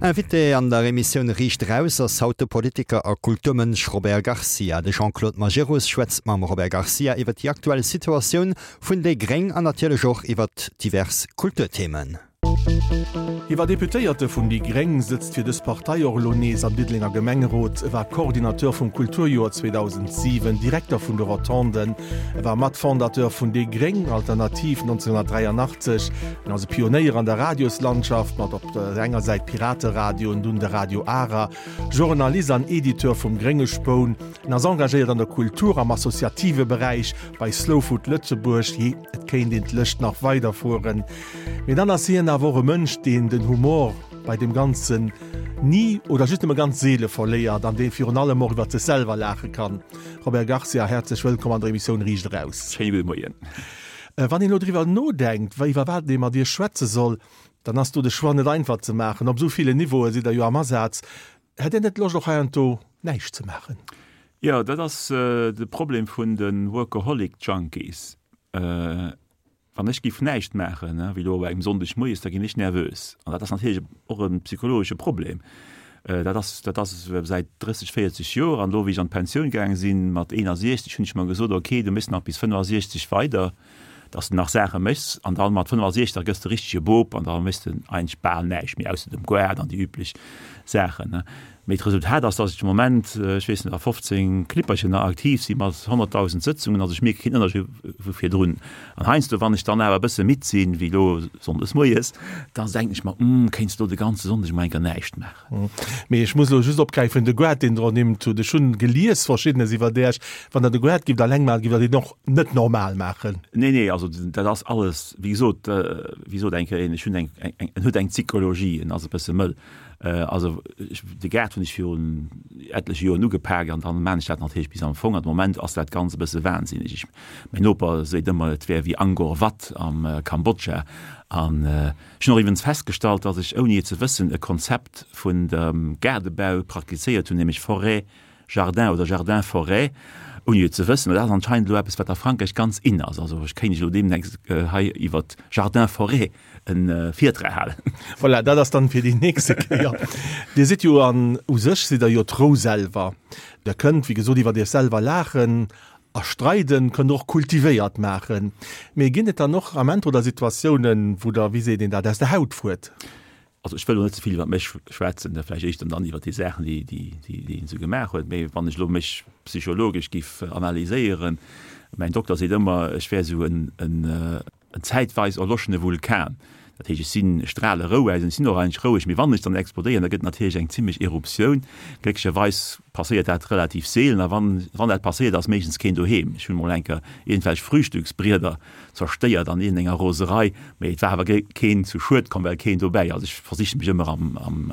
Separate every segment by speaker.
Speaker 1: Invité an der Emissioun Riicht Eraus ass haut de Politiker a Kulturmënsch Robert Garcia. De Jean-Claude Majerus schwätzt mam Robert Garcia iwwer déi aktuell Situatioun vun déi Gréng an natierlech och iwwer divers Kulturthemen.
Speaker 2: Hie war Deputéierte vun déi gréng, sëtzt fir dës Partei och elo nees am Diddelenger Gemengerot, e war Coordinateur vum Kulturjoer 2007, Direkter vun de Rotonden, e war Matfondateur vun déi gréng Alternativ 1983, En ass e Pionéier an der Radioslandschaft, mat op der enger Säit Pirateradio an dunn de Radio Ara, Journalist an Editeur vum Grénge Spoun. En ass engagéiert an der Kultur, am associative Beräich, bei Slow Food Lëtzebuerg. Jee, et kéint een d'Lëscht nach weiderfueren. Mee dann ass hien awer och e Mënsch, deen den Humor bei deem Ganzen ni oder just nëmme ganz seele verléiert an dee virun allem och iwwer sech selwer laache kann. Robert Garcia, häerzlech wëllkomm an der Emissioun Riicht Eraus.
Speaker 3: Schéine gudde Moien.
Speaker 2: Wann een elo driwwer nodenkt, iwwer wat ee mat Iech schwätze soll, dann ass do de Choix net einfach ze maachen. Op esou villen Niveaue sidd Der jo am Asaz. Hätt Dir net Loscht och heiansdo näischt ze maachen?
Speaker 3: Jo, dat ass de Problem vun de Workaholic Junkies. Wann ech giff näischt maachen, wéi elo op engem Sonndeg moies, da ginn ech nervös. An dat ass natierlech och e psychologesche Problem. Dat ass, dat ass säit 30, 40 Joer. An elo, wéi ech an d'Pensioun gaange sinn, mat 61, hunn ech mer gesot, ok, du méchs nach bis 65 weider, dass de nach Saache méchs. An dann mat 65, da gëss de richtege Bop an da méchs de eigentlech bal näischt méi, ausser dem Goart an déi üblech Saachen. Mee d'Resultat ass, dass ech de Moment, ech weess net, a 15 Klipperchen nach aktiv si mat 100.000 Sëtzungen. Also ech mierke keen Ënnerscheed vu virdrun. An heiansdo, wann ech dann awer e bësse midd sinn, wéi elo sonndes moies, da denken ech mer, Hm, kéints elo de ganze Sonndeg mol eng Kéier näischt maachen.
Speaker 2: Mee ech muss elo just opgräifen, de Goart, deen Der ernimmt hutt. Ech hunn gelies Verschiddenes iwwer Äech. Wann Der de Goart gifft alleng maachen, gifft Der deen och net normal maachen.
Speaker 3: Nee, nee, also dat ass alles, wéi gesot, wéi sot eng Kéier een, ech hunn eng, eng, en huet eng Psychologie, en ass e bësse mëll. Also de Gaart hunn ech virun etleche Joren ugepak an dann maan ech dat natierlech bis am Fong. An de Moment ass dat Ganzt e bësse wahnsinneg. Ech, mäin Noper seet ëmmer, et wär wéi Angkor Wat am Kambodscha. An ech hunn och iwwrens festgestallt, datt ech, ouni et ze wëssen, e Konzept vun dem Gaardebau praktizéiert hunn, nämlech Forêt Jardin oder Jardin Forêt, ouni et ze wëssen. Mä dat ass anscheinend elo eppes, wat a Frankräich ganz in ass. Also ech kéint iech elo deemnächst hei iwwert Jardin Forêt e Virtrag halen.
Speaker 2: Voilà, dat ass dann fir déi nächste Kéier. Dir sidd jo an u sech sidd Der jo d'Rou selwer. Der kënnt, wéi gesot, iwwert Iech selwer laachen a streiden, kënnt Der och kultivéiert maachen. Mee ginn et dann och Amenter oder Situatiounen, wou Der, wéi seet een dat, aus der Haut fuert?
Speaker 3: Also ech wëll elo net ze vill iwwer mech schwätzen, vläicht éischter dann iwwer déi Saachen, déi, déi, déi een esou gemaach huet. Mee wann ech elo mech psychologesch giff analyséieren, mäin Dokter seet ëmmer, ech wär esou en, en, en zäitweis erloschene Vulkan. Dat heescht, ech sinn, ech strale Rou aus an ech sinn och eigentlech roueg, mee wann ech dann explodéieren, da gëtt natierlech eng zimmlech Eruptioun. Glécklecherweis passéiert dat relativ seelen a wann, wann dat passéiert, ass meeschtens keen doheem. Ech hunn emol eng Kéier iergendwelch Frühstücksbrieder zerstéiert an iergendenger Roserei, mee et war awer keen zu Schued komm, well keen dobäi ass. Ech versiche mech ëmmer am, am,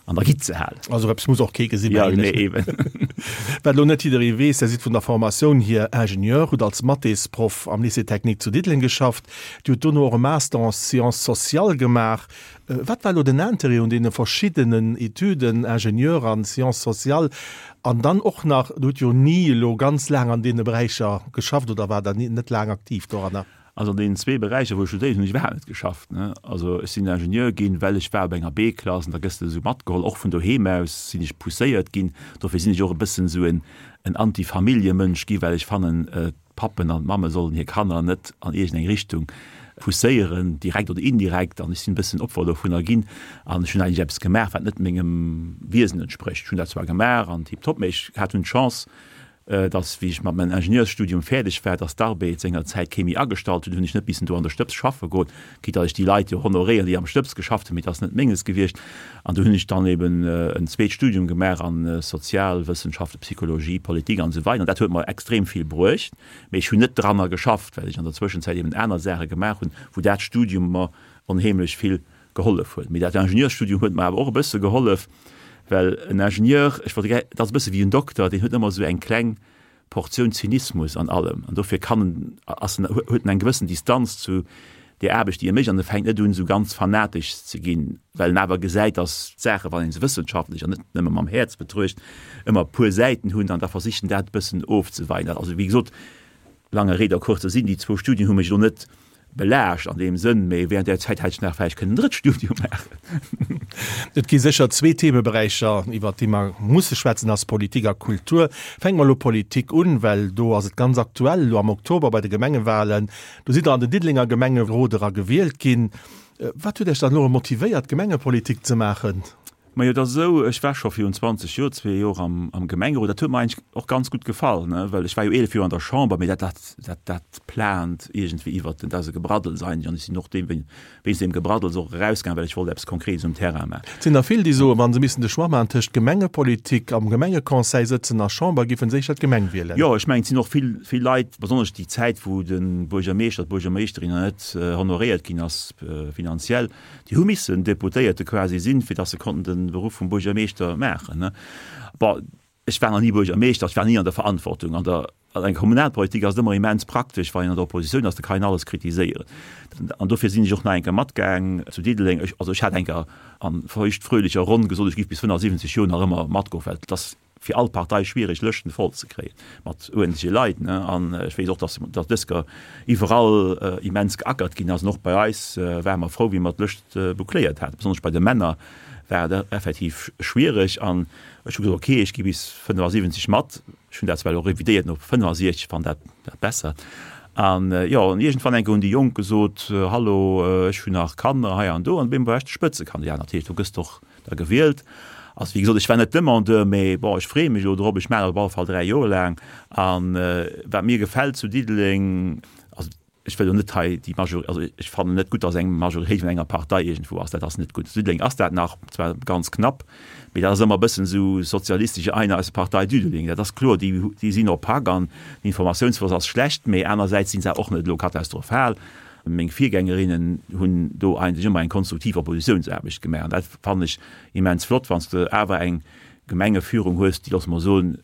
Speaker 3: an der Gitt ze halen.
Speaker 2: Also eppes muss och kee gesinn,
Speaker 3: Ja, nee, eben.
Speaker 2: Wat elo net jidderee weess, Der sidd vun der Formatioun hier Ingenieur, hutt als Mathésproff am Lycée technique zu Diddeleng geschafft, Dir hutt dono och e Master en Sciences sociales gemaach. Wat war elo den Interêt un deene verschiddenen Etüden, Ingenieur an Sciences sociales, an dann och nach, Der hutt jo ni elo ganz laang an deene Beräicher geschafft oder waart Der net laang aktiv doranner?
Speaker 3: Also an deenen zwee Beräicher, wou ech studéiert hunn, hunn ech iwwerhaapt net geschafft. Also ech sinn Ingenieur ginn, well ech war op enger B-Klass an da gëss de esou matgeholl. Och vun doheem aus sinn ech pousséiert ginn. Dofir sinn ech och e bëssen esou en Anti-Famillje-Mënsch gi, well ech fannen, D'Pappen an d'Mamme sollen hir Kanner net an iergendeng Richtung pousséieren, direkt oder indirekt. An ech sinn e bëssen Opfer dovunner ginn. An ech hunn eigentlech eppes gemaach, wat net mengem Wiesen entsprécht. Ech hunn dat zwar gemaach an tiptop, mä ech hat hunn d'Chance, dass, wéi ech mat mengem Ingenieursstudium fäerdeg war, dass d'Arbed sengerzäit kee méi agestallt huet, hunn ech net missen do an der Stëbs schaffe goen, quitte dass ech déi Leit jo honoréieren, déi am Stëbs geschafft hunn, mee et ass net menges gewiescht. An du hunn ech dann eben en zweet Studium gemaach an Sozialwëssenschaften, Psychologie, Politik an esou weider. An dat huet mer extrem vill bruecht, mee ech hunn net dranner geschafft, well ech an der Zwëschenzäit eben aner Saache gemaach hunn, wou dat Studium mer onheemlech vill gehollef huet. Mee dat Ingenieursstudium huet mer awer och e bësse gehollef, well en Ingenieur, ech wollt, dat ass e bësse wéi en Dokter, deen huet ëmmer esou eng kleng Portioun Zynismus an allem, an dofir kann en, ass en, huet en eng gewëssen Distanz zu där Aarbecht, déi e mécht, an e fänkt net un, esou ganz fanatesch ze ginn, well en awer gesäit, datt d'Saache, wann ee se wëssenschaftlech an net nëmme mam Häerz betruecht, ëmmer e puer Säiten hunn, an da versicht en dat e bëssen ofzeweien. Also, wéi gesot, lange Rede, kurzer Sinn, déi zwou Studien hu mech elo net. Belaascht an deem Sënn, mee während där Zäit hätt ech nach vläicht kënnen en drëtt Studium maachen.
Speaker 2: Et gi sécher zwee Themeberäicher, iwwert déi mer musse schwätzen, ass Politik a Kultur. Fänke mer elo Politik un, well do ass et ganz aktuell, elo am Oktober bei de Gemengewahlen. Do sidd Der an den Diddelenger Gemengerot era gewielt ginn. Wat huet Iech dann elo motivéiert, Gemengepolitik ze maachen?
Speaker 3: Majo, et ass esou, ech war scho virun 20 Joer, zwee Joer am, am Gemengerot. Dat huet mer eigentlech och ganz gutt gefall, ne, well ech war jo 11 Joer an der Chamber, mee dat, dat, dat, dat plant iergendwéi iwwert den, dat ass e Gebraddels eigentlech an ech sinn och deem, wéinst deem Gebraddels och erausgaangen, well ech wollt eppes Konkretes um Terrain maachen.
Speaker 2: Et sinn der vill, déi soen, wa se missten de Choix maachen tëscht Gemengepolitik, am Gemengeconseil sëtzen a Chamber, géifen se éischter d'Gemeng wielen.
Speaker 3: Jo, ech mengen, et sinn och vill, vill Leit, besonnesch déi Zäit, wou de Buergermeeschter, d'Buergermeeschterin nach net honoréiert ginn ass finanziell, Déi hu missen Deputéierte quasi sinn, fir datt se konnten de Beruff vum Buergermeeschter maachen. Bon, ech war nach ni Buergermeeschter, ech war ni an der Verantwortung. An der an der Kommunalpolitik ass et ëmmer immens praktesch, wann een an der Oppositioun ass, da kann een alles kritiséieren. An dofir sinn ech och nach eng Kéier matgaang zu Diddeleng. Ech, also ech hat eng Kéier a feuchtfröhlecher Ronn gesot, ech géif bis 75 Joer nach ëmmer matgoen, well et ass fir all Partei schwiereg Lëschten voll ze kréien mat uerdentleche Leit ne an ech weess och dass dass dës Kéier iwwerall immens geackert ginn ass an och bei eis ware mer frou wéi mer d'Lëscht boucléiert haten. Besonnesch bei de Männer war et effektiv schwiereg an ech hu gesot ok ech gi bis 75 mat. Ech hunn dat zwar elo revidéiert no 65, fannen dat dat besser an jo an iergendwann eng Kéier hunn déi Jonk gesot hallo ech hunn nach Kanner hei an do an op eemol war ech de Spëtzekandidat. Natierlech do gëss de och da gewielt. Also wéi gesot, ech war net Demandeur, mee bon, ech freeë mech elo drop. Ech maachen dat op alle Fall 3 Joer laang. An wat mir gefält zu Diddeleng, also ech wëll elo net hei déi Majori-, also ech fannen net gutt, datt eng Majoritéit vun enger Partei iergendwou ass. Dat ass net gutt. Zu Diddeleng ass dat nach, zwar ganz knapp, mee dat ass ëmmer e bëssen esou sozialistesche Einer aus der Partei Düdeling. Dat ass kloer, déi, déi sinn opaque an den Informatiounsfloss ass schlecht, mee anersäits si se och net elo katastrophal. Meng Virgängerinnen hunn do eigentlech ëmmer eng konstruktiv Oppositiounsaarbecht gemaach an dat fannen ech immens flott, wann s de awer eng Gemengeführung hues, déi, loosse mer soen,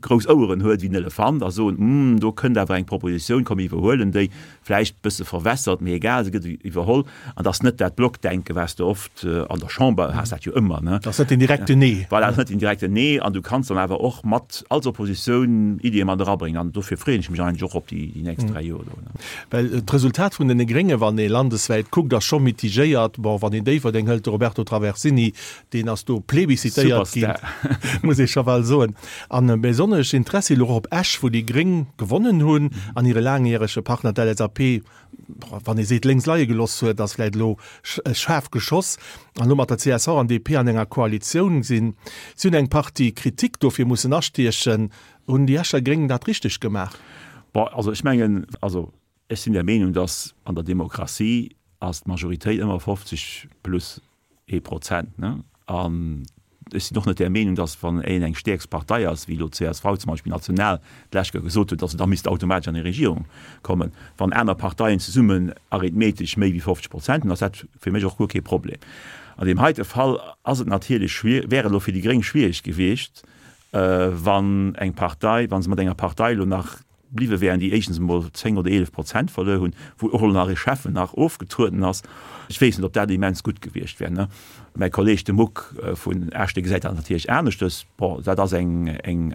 Speaker 3: grouss Oueren huet wéi en Elefant a soen, Hm, do kënnt awer eng Propositioun, komm mir iwwerhuelen déi, vläicht e bësse verwässert, mee egal, se gëtt iwwerholl. An dass net dat Blockdenken, wat s de oft an der Chamber has, dat jo ëmmer, ne?
Speaker 2: Dat ass net den direkten Nee.
Speaker 3: Voilà, dat ass net den direkten Nee an du kanns dann awer och mat als Oppositioun Iddie mat erabréngen an dofir freeën ech mech eigentlech och op déi nächst 3 Joer do.
Speaker 2: Well d'Resultat vun den Grénge, wann ee landeswäit kuckt, ass scho mitigéiert. Bon, wann een Déifferdeng hëlt, de Roberto Traversini, deen ass do plébiscitéiert ginn, muss ee scho bal soen. An besonnesch Interessi elo och op Esch, wou déi Gréng gewonnen hunn an hire laangjärege Partner, d'LSAP, wann ee seet lénks leie geloss huet, ass vläicht elo schaarf geschoss, an elo mat der csv an DP an enger Koalitioun sinn. Si hunn eng Partie Kritik dofir mussen astiechen. Hunn déi Escher Gréng dat richteg gemaach?
Speaker 3: Bon, also ech mengen, also ech sinn der Meenung, datt an der Demokratie ass d'Majoritéit ëmmer 50 plus ee Prozent, ne? An ech sinn och net där Meenung, datt wann een eng stäerkst Partei ass, wéi elo d'CSV zum Beispill national d'lescht Kéier gesot huet, datt se da misst automatesch an eng Regierung kommen. Wann aner Parteien zesummen arithmetesch méi wéi 50 Prozent hunn, ass dat fir mech och guer kee Problem. An deem heite Fall ass et natierlech schwier, wär et elo fir déi Gréng schwierig gewiescht, wann eng Partei, wa se mat enger Partei elo nach bliwwe wären, déi éischtens emol 10 oder 11 Prozent verluer hunn, wou och elo nach e Schäffen nach ofgetrueden ass, ech weess net, ob dat immens gutt gewiescht wär, ne? Mäi Kolleeg, de Muck vun Esch, dee gesäit dat natierlech aneschtes. Bon, dat ass eng, eng,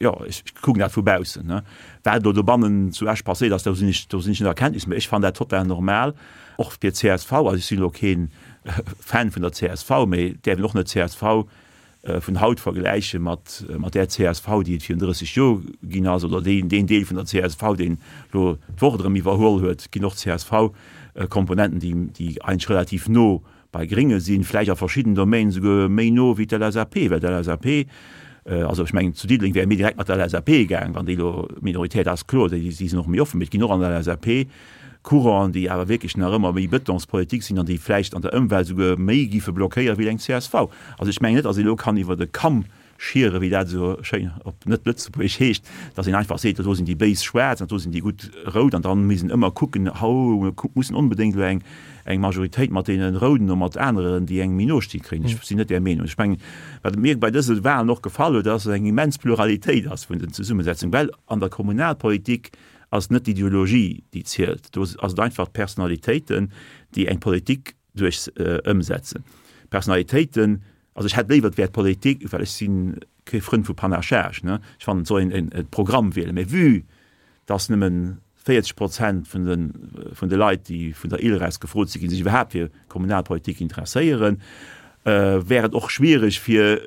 Speaker 3: jo, ech kucken dat vu baussen, ne? Wat elo dobannen zu Esch passéiert ass, do sinn ech, do sinn ech net a Kenntnis, mä ech fannen dat total normal, och fir d'CSV. Also ech sinn elo kee Fan vun der csv, mä et däerf een och net d'CSV vun haut vergläiche mat mat där csv, déi et virun 30 Joer ginn ass, oder deen deen Deel vun der csv, deen elo d'Wort erëm iwwerholl huet, ginn och CSV-Komponenten, déi déi eigentlech relativ no bei Grénge sinn, vläicht a verschidden Domainen esouguer méi no wéi d'LSAP, well d'LSAP, also ech mengen zu Diddeleng wäre mir direkt mat der LSAP gaang, wann déi elo Minorität ass, kloer, déi si sinn och méi offen, mee et ginn och an der LSAP Courant'en, déi awer wierklech nach ëmmer méi Bëtonspolitik sinn an déi vläicht an der Ëmwelt esouguer méi giffe blockéiere wéi eng csv. Also ech mengen net, datt een elo kann iwwer e Kamm schiere, wéi dat esou schéin op net-lëtzebuergesch heescht, datt een einfach seet, do sinn déi béis schwaarz an do sinn déi gutt rout an dann misst een ëmmer kucken, hau mir mussen onbedéngt elo eng eng Majoritéit mat deene Rouden oder mat aneren, déi engem méi no sti kréien. Ech sinn net där Meenung. Ech mengen, wat mir bei dëse Wahlen och gefall huet, ass, datt eng immens Pluralitéit ass vun den Zesummesetzungen, well an der Kommunalpolitik ass net d'Ideologie, déi zielt, do ass et einfach d'Personalitéiten, déi eng Politik duerch ëmsetzen. Personalitéiten, also ech hätt léiwer et wär d'Politik, well ech si kee Frënd vu Panachage, ne, ech fannen et soll een e Programm wielen, mä vue dass nëmmen. 40 Prozent vun de, vun de Leit, déi vun der ILReS gefrot si ginn, sech iwwerhaapt fir Kommunalpolitik interesséieren, wär et och schwierig fir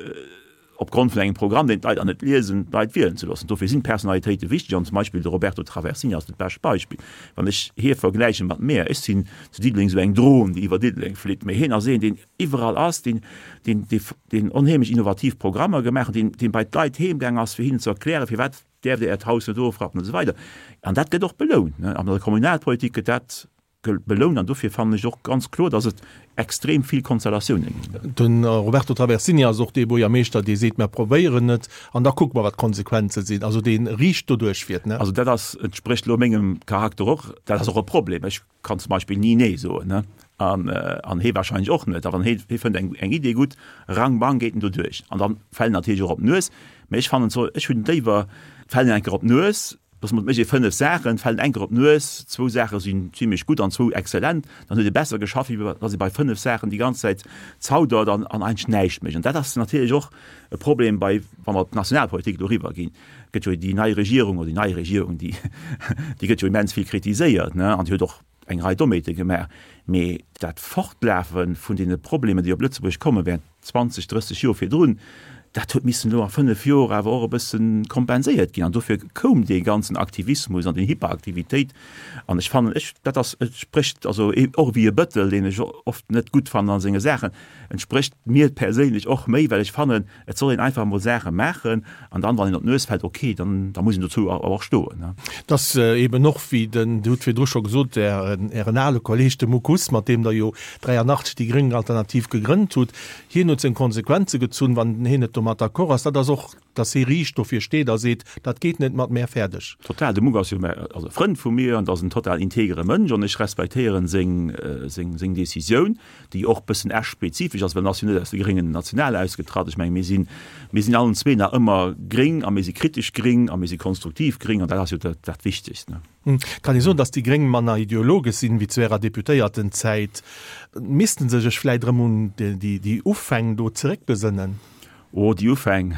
Speaker 3: opgrond vun engem Programm, deen d'Leit nach net liesen, d'Leit wielen ze loossen. Dofir sinn d'Personalitéite wichteg an zum Beispill de Roberto Traversini ass dat bescht Beispill. Wann ech hie vergläiche mat mär, ech sinn zu Diddeleng esou eng Dron, déi iwwer Diddeleng flitt, mä hien ass een, deen iwwerall ass, deen, deen, deen onheemlech innovativ Programmer gemaach huet, deen, deen bei d'Leit heemgaang ass, fir hinnen ze erklären, firwat däerft Dir Äert Haus net ofrappen an esou weider. An dat gëtt och belount. An der Kommunalpolitik gëtt dat belount an dofir fannen ech och ganz kloer, dass et extrem vill Konstellatiounen
Speaker 2: ginn. De Roberto Traversini ass och dee Buergermeeschter, dee seet, Mer probéieren et an da kucke mer, wat d'Konsequenze sinn. Also dee riicht doduerch fiert, ne?
Speaker 3: Also dat ass, entsprécht elo mengem Charakter och. Dat ass och e Problem. Ech kann zum Beispill ni Nee soen, ne? An, an hee wahrscheinlech och net. A wann hee, hee fënnt eng, eng Idee gutt, rang bang geet en doduerch. An da fält en natierlech och op d'Nues. Mä ech fannen, ech hunn léiwer, et fält en eng Kéier op d'Nues, Dass mat mécht ee 5 Saachen, fält eng Kéier op d'Nues, zwou Saache sinn zimlech gutt an zwou exzellent, dann huet ee besser geschafft, wéi dass ee bei 5 Saachen déi ganz Zäit zaudert an an eigentlech näischt mécht. An dat ass natierlech och e Problem bei, wa mer op d'Nationalpolitik elo eriwwerginn, gëtt jo déi nei Regierung, oder déi nei Regierung, déi déi gëtt jo immens vill kritiséiert, ne, an déi huet och eng Rei Dommheete gemaach, mee dat Fortlafe vun deene Problemer, déi op Lëtzebuerg komme während 20, 30 Joer virdrun, dat huet missen elo a 5 Joer awer och e bësse kompenséiert ginn. An dofir koum dee ganzen Aktivismus an déi Hyperaktivitéit. An ech fannen, ech, dat ass, et sprécht also och wéi e Bëttel, deen ech oft net gutt fannen a senge Saachen, entsprécht mir perséinlech och méi, well ech fannen, Et soll een einfach emol Saache maachen an dann, wann een op d'Nues fält, ok, dann da muss een dozou awer och stoen.
Speaker 2: Et ass eben och, wéi den, Dir hutt virdru scho gesot, Ären, Ären ale Kolleeg, de Muck Huss, mat deem Der jo 83 déi gréng Alternativ gegrënnt hutt, hien huet seng Konsequenze gezunn, wann hien net domat d'accord ass. Dat ass och, datt hie riicht dofir steet a seet, dat geet net mat mär, fäerdeg.
Speaker 3: Total, de Muck ass jo ass e Frënd vu mir an ass en total integere Mënsch an ech respektéieren seng, seng, seng Decisioun. déi och bëssen Esch-spezifesch ass, well en ass jo net aus de Gréngen national ausgetratt. Ech menge mir sinn, mir sinn allen zwee nach ëmmer gréng a mir si kritesch gréng a mir si konstruktiv gréng an dat ass jo dat, dat Wichtegst, ne.
Speaker 2: Kann ee soen, datt déi Gréng manner ideologesch sinn wéi zu ärer Deputéiertenzäit? Missten se sech vläit erëm un déi, déi Ufäng do zeréckbesënnen?
Speaker 3: Oh, déi Ufäng,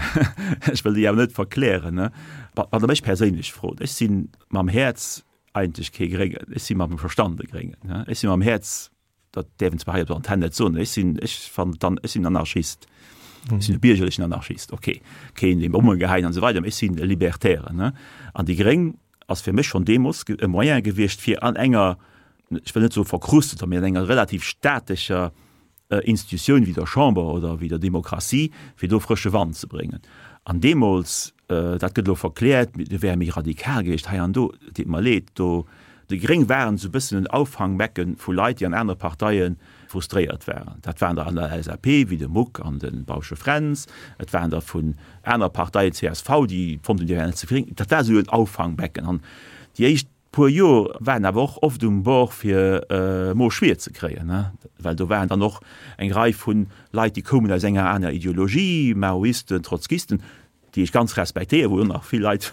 Speaker 3: ech wëll déi awer net verklären, ne. Wann Der mech perséinlech frot, ech si mam Häerz eigentlech kee Gréngen, ech si mam Verstand e Gréngen, ech si mam Häerz dat däerf een zwar hei op der Antenn net soen, ech sinn, ech fannen dann, ech sinn Anarchist. Ech sinn e biergerlechen Anarchist, okay, keen dee Bomme geheit an esou weider, mee ech sinn e Libertären, ne. An déi Gréng ass fir mech schonn deemools e Moyen gewiescht, fir an enger, ech wëll net soe verkrusteter, mee an enger relativ statescher Institutioun wéi der Chamber oder wéi der Demokratie, fir do frësche Wand ze bréngen. An deemools, dat gëtt elo verkläert, do wär e méi radikal gewiescht hei an do, et deet mer leed, do, déi Gréng waren esou e bëssen en Auffangbecken vu Leit, déi an anere Parteie frustréiert waren. Dat waren der an der LSAP, wéi de Muck an de Bausche Fränz, et waren der vun anere Parteien, csv, déi fonnt hunn, déi wären net ze gréng. Dat war esou en Auffangbecken. An déi éischt puer Joer waren awer och oft um Bord fir Mo schwier ze kréien, well do waren dann och eng Rei vu Leit, déi koumen aus enger aner Ideologie, Maoisten, Trotzkisten, déi ech ganz respektéieren, wou och nach vill Leit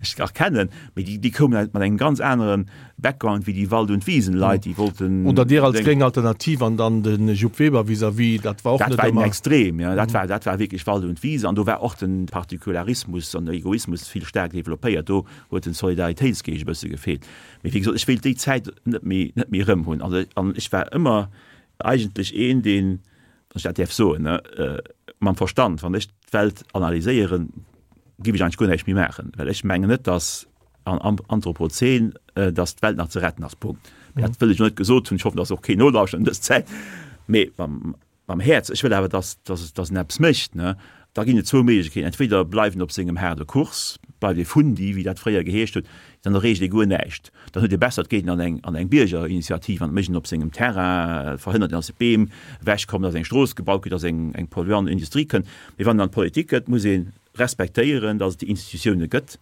Speaker 3: ech nach kennen, mee déi, déi koumen mat engem ganz anere Background wéi déi Wald und Wiesen-Leit, déi wollten.
Speaker 2: Oder Dir als gréng Alternativ an dann de Jupp Weber vis-à-vis, dat war och
Speaker 3: net ëmmer. Dat war en Extrem, jo, dat war, dat war wierklech Wald und Wiese an do war och de Partikularismus an de Egoismus vill staark developpéiert. Do huet den Solidaritéitsgeescht e bësse gefeelt. Mee wéi gesot, ech wéilt déi Zäit net méi, net méi erëm hunn. Also, an ech war ëmmer eigentlech een, deen, wann ech dat däerf soen, ne, mam Verstand, wann ech d'Welt analyséieren, géif ech eigentlech guer näischt méi maachen, well ech mengen net, datt am Anthropozän, datt d'Welt nach ze retten ass. Punkt. Mee dat wëll ech elo net gesot hunn. Ech hoffen, datt och keen nolauschtert an dës Zäit. Mee mam, Mam Häerz, ech wëll awer, dass, dass, dass en eppes mécht, ne? Da ginn et zwou Méiglechkeeten, Entweder bleift en op sengem haarde Kurs, bleift ee Fundi, wéi dat fréier geheescht huet, dann erreecht ee guer näischt. Dann huet ee besser, et geet en an eng, an eng Biergerinitiativ an et mécht en op sengem Terrain, verhënnert en, dass Beem ewechkommen, dass eng Strooss gebaut gëtt, dass eng, eng polluant Industrie kënnt. Mee wann en an d'Politik gëtt, muss ee respektéieren, dass et déi Institutioune gëtt.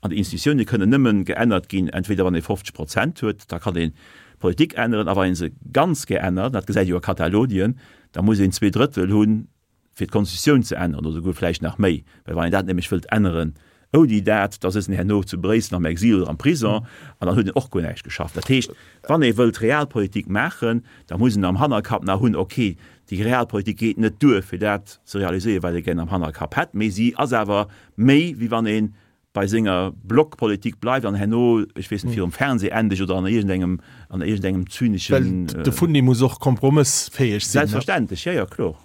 Speaker 3: An déi Institutioune kënnen nëmmen geännert ginn, entweder wann ee 50 Prozent huet, da kann een d'Politik änneren, a wann ee se ganz gär ännert, dat gesäit ee jo a Katalonien, da muss een 2/3 hunn, fir d'Konstitutioun ze änneren, oder souguer vläicht nach méi. Well wann een dat nämlech wëllt änneren ouni dat, da sëtzt een herno zu Bréissel am Exil oder am Prison an dann huet een och guer näischt geschafft. Dat heescht, wann ee wëllt Realpolitik maachen, da muss een am Hannerkapp nach hunn, okay, déi Realpolitik geet net duer, fir dat ze realiséieren, wat ee gär am Hannerkapp hätt, mee si ass awer méi, wéi wann een. bei senger Blockpolitik bleift an herno, ech weess net, virum Fernseh endegt oder an iergendengem, an iergendengem zyneschen.
Speaker 2: Well de Fundi muss och kompromëssfäeg sinn.
Speaker 3: Selbstverständlech, jo, jo, kloer.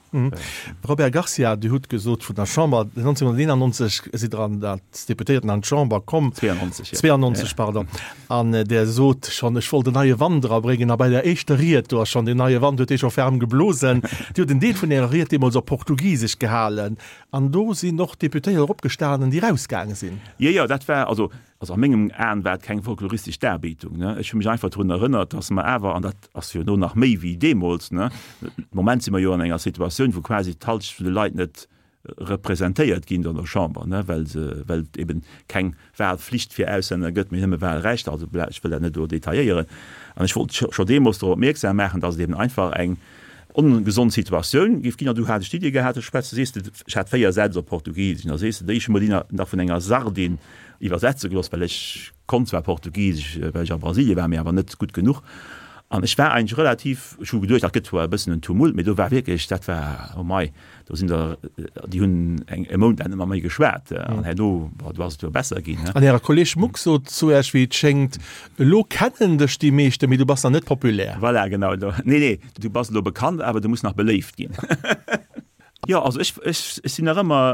Speaker 2: Robert Garcia, Dir hutt gesot vun der Chamber, 1991 sidd Der an als Deputéierten an d'Chamber komm.
Speaker 3: 92,
Speaker 2: jo. 92, pardon. An Der sot schonn, ech wollt en neie Wand erabréngen. A bei der éischter Ried, do ass schonn deen neie Wand, huet dee scho ferm geblosen. Dir hutt en Deel vun Ärer Ried deemools op Portugisesch gehalen. An do sinn och Deputéiert opgestanen, déi erausgaange sinn.
Speaker 3: Jo, jo, dat war, also, also a mengem Aen war et keng folkloristesch Darbietung, ne. Ech hu mech einfach drun erënnert, dass mer awer, an dat ass jo elo nach méi wéi deemools, ne, de Moment si mer jo an enger Situatioun, wou quasi d'Halschent vun de Leit net representéiert ginn an der Chamber, ne, well se, well et eben keng Wahlflicht fir Auslänner gëtt, mee nëmme Wahlrecht. Also, ech wëll dat net elo detailléieren. An ech wollt scho deemools drop opmierksam maachen, dass et eben einfach eng ongesond Situatioun géif ginn. An du hat ech d'Iddi gehat, ech schwätze, sees de, ech hat 4 Sätz op Portugisesch, an da sees de, déi ech hu mer déi nach vun enger Sardin iwwersetze gelooss, well ech konnt zwar Portugisesch, well ech a Brasilien war, mee awer net gutt genuch. An ech war eigentlech relativ, ech hu geduecht, dat gëtt zwar e bëssen en Tumult, mee do war wierklech, dat war, oh mei, Do sinn der, déi hunn eng, e Mount laang net mat méi geschwat an herno, bon, do ass et jo besser ginn.
Speaker 2: An Äre Kolleg Muck sot zu Iech, wéi et schéngt, Elo kennen dech déi meeschten, mee du bass nach net populär.
Speaker 3: Voilà, genau. Nee, nee, du bass elo bekannt, awer du muss nach beléift ginn. Jo, also ech, ech, ech sinn nach ëmmer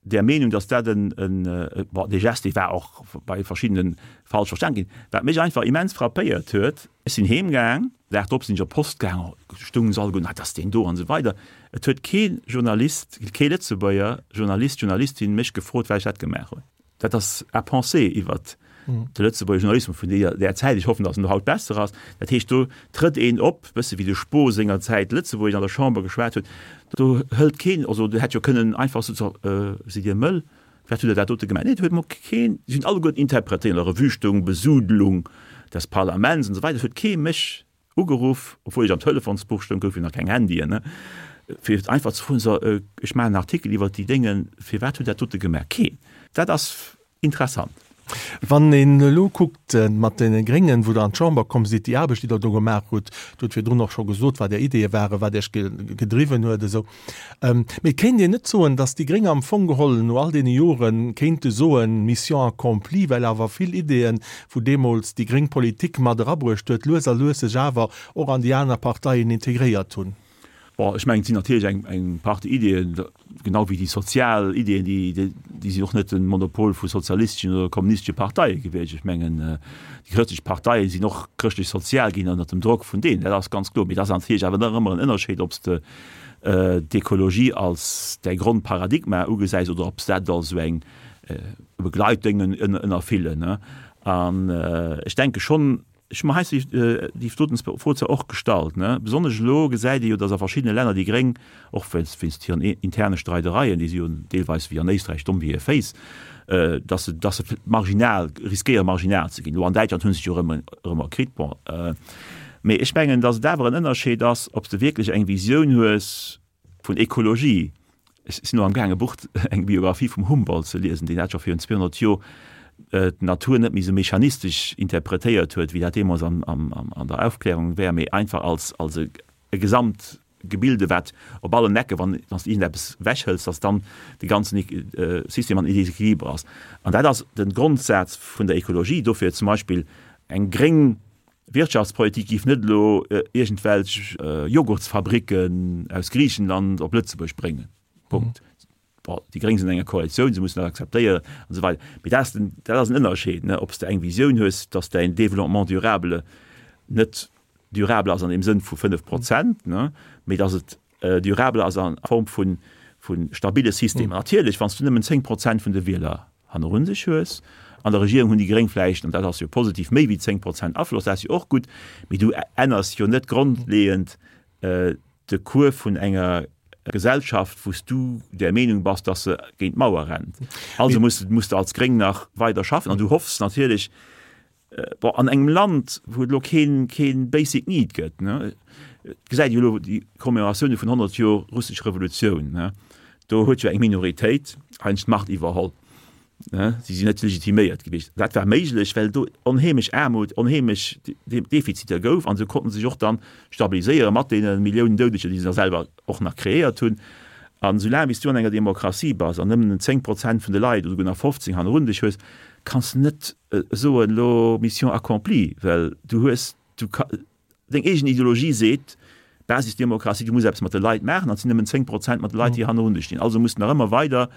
Speaker 3: der Meenung, dass dat en, en, bon, dee Geste, dee war och bei verschiddene falsch verstan ginn. Wat mech einfach immens frappéiert huet, ech sinn heemgaang, Dag drop sinn ech op d'Post gaang, stoungen se alleguerten, ah, dat ass deen do an esou weider. Et huet kee Journalist, kee Lëtzebuerger Journalist, Journalistin mech gefrot, wat ech dat gemaach hunn. Dat ass à penser iwwert de Lëtzebuerger Journalismus vun deeër, där Zäit. Ech hoffen, dass en haut besser ass. Dat heescht, do trëtt een op, bësse wéi de Spoo sengerzäit Lëtzebuergesch an der Chamber geschwat huet. Do hëlt keen, also do hätt jo kënnen einfach soen, so, sidd Dir mëll, wat hutt Der dat dote gemaach? Nee, do huet mol keen, si hunn alleguerten interpretéiert, an der Revue stoung Besudelung des Parlaments an esou weider, et huet kee mech Ugeruff, obwuel ech am Telefonsbuch stoung, gouf jo nach keng Handyen, ne, fir einfach ze froen, so, ech maachen en Artikel iwwert déi Déngen, firwat hutt Der dat dote gemaach? Keen. Dat ass interessant.
Speaker 2: Wann een elo kuckt mat deene Gréngen, wou Der an d'Chamber komm sidd, déi Aarbecht, déi Der do gemaach hutt, Dir hutt virdrun och scho gesot, wat Är Ideeë waren, wat Iech gedriwwen huet esou, Mee et kéint een net soen, datt déi Gréng am Fong geholl no all deene Jore kéinte soen, Mission accomplie, well awer vill Ideeën, wou deemools déi gréng Politik mat erabruecht huet, lues a lues sech awer och an déi aner Parteien integréiert hunn.
Speaker 3: Bon, ech mengen, et sinn natierlech eng, eng Partie Ideeën, genau wéi déi sozial Ideeën, déi, déi sinn och net de Monopol vu sozialisteschen oder kommunistesche Parteie gewiescht. Ech mengen, déi chrëschtlech Parteie sinn och chrëschtlech-sozial ginn ënnert dem Drock vun deenen, dat ass ganz kloer. Mee et ass natierlech awer nach ëmmer en Ënnerscheed, ob s de d'Ekologie als däi Grondparadigma ugesäis oder ob s dat als esou eng Begleitdéngen ënnerfillen. An ech denke schonn, ech hu mer heiansdo déi doten Fro zwar och gestallt, besonnesch elo gesäit ee jo, datt a verschiddene Länner déi Gréng, och wéinst hiren interne Streidereien, déi si jo deelweis wéi an Éisträich domm wéi hir Féiss, datt se, datt se marginal, riskéiere marginal ze ginn. Elo an Däitschland hu se sech jo erëm erëm erkritt, bon. Mee ech mengen, datt et awer en Ënnerscheed ass, ob s de wierklech eng Visioun hues vun Ekologie. Ech sinn elo amgaang e Buch, eng Biographie vum Humboldt ze liesen, deen dat scho virun 200 Joer d'Natur net méi esou mechanistesch interpretéiert huet, wéi dat deemools an der Aufklärung wär, mee einfach als e Gesamtgebilde, wat op allen Ecke, wann s de iergendeppes ewechhëls, datt dann de ganzen System an Desequiliber ass. An dat ass de Grondsaz vun der Ekologie. Dofir zum Beispill eng gréng Wirtschaftspolitik géif net elo iergendwelch Joghurtsfabricken aus Griichenland op Lëtzebuerg bréngen. Punkt. Bon, déi Gréng sinn an enger Koalitioun, se mussen dat akzeptéieren an esou weider. Mee dat ass den, dat ass en Ënnerscheed, ne, ob s de eng Visioun hues, dass däin Développement durable net durable ass an deem Sënn vu 5 Prozent, ne, mee dass et durable ass a Form vu stabile Systemer. Natierlech, wann s du nëmmen 10 Prozent vun de Wieler hannerun sech hues. An der Regierung hunn déi Gréng vläicht, an dat ass jo positiv, méi wéi 10 Prozent Afloss, dat ass jo och gutt, mee du änners jo net grondleeënd de Cours vun enger Gesellschaft, wou s du der Meenung bass, dass se géint d'Mauer rennt. Also muss muss de als Gréng nach weider schaffen an du hoffs natierlech, Bon, an engem Land, wou et elo keen, keen basic need gëtt, ne, et gesäit ee jo elo déi Commémoratioune vun 100 Joer russesch Revolutioun, ne, do huet jo eng Minoritéit eigentlech d'Macht iwwerholl, ne, si sinn net legitiméiert gewiescht. Dat war méiglech, well do onheemlech Aarmut, onheemlech Defiziter gouf an se konnten sech och dann stabiliséiere mat deene Milliounen Doudeger, déi se da selwer och nach kreéiert hunn. An esoulaang wéi s du an enger Demokratie bass an nëmmen 10 Prozent vun de Leit oder souguer nach 15 hannerun dech hues, kanns de net soen, elo Mission accomplie, well du hues, du ka, deng eegen Ideologie seet, Basisdemokratie, du muss eppes mat de Leit maachen an et sinn nëmmen 10 Prozent mat de Leit, déi hannerun dech stinn. Also muss de nach ëmmer weider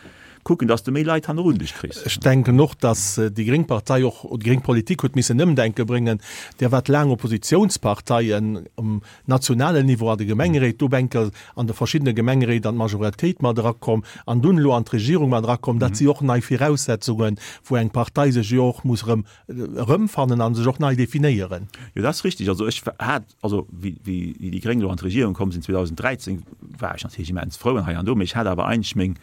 Speaker 3: kucken, dass de méi Leit hannerun dech kriss.
Speaker 2: Ech denken och, dass déi gréng Partei och, déi gréng Politik huet missen Ëmdenke bréngen. Där wat laang Oppositionsparteien um nationalen Niveau an de Gemengeréit, do bänker an de verschiddene Gemengeréit an d'Majoritéit mat erakomm an dunn elo an d'Regierung mat erakomm. Dat si och nei Viraussetzungen, wou eng Partei sech jo och muss erëm erëmfannen a sech och nei definéieren.
Speaker 3: Jo, dat ass richtig. Also ech hat, also wéi, wéi déi Gréng elo an d'Regierung komm sinn 2013, war ech natierlech immens frou an hei an do, mee ech hat awer eigentlech meng,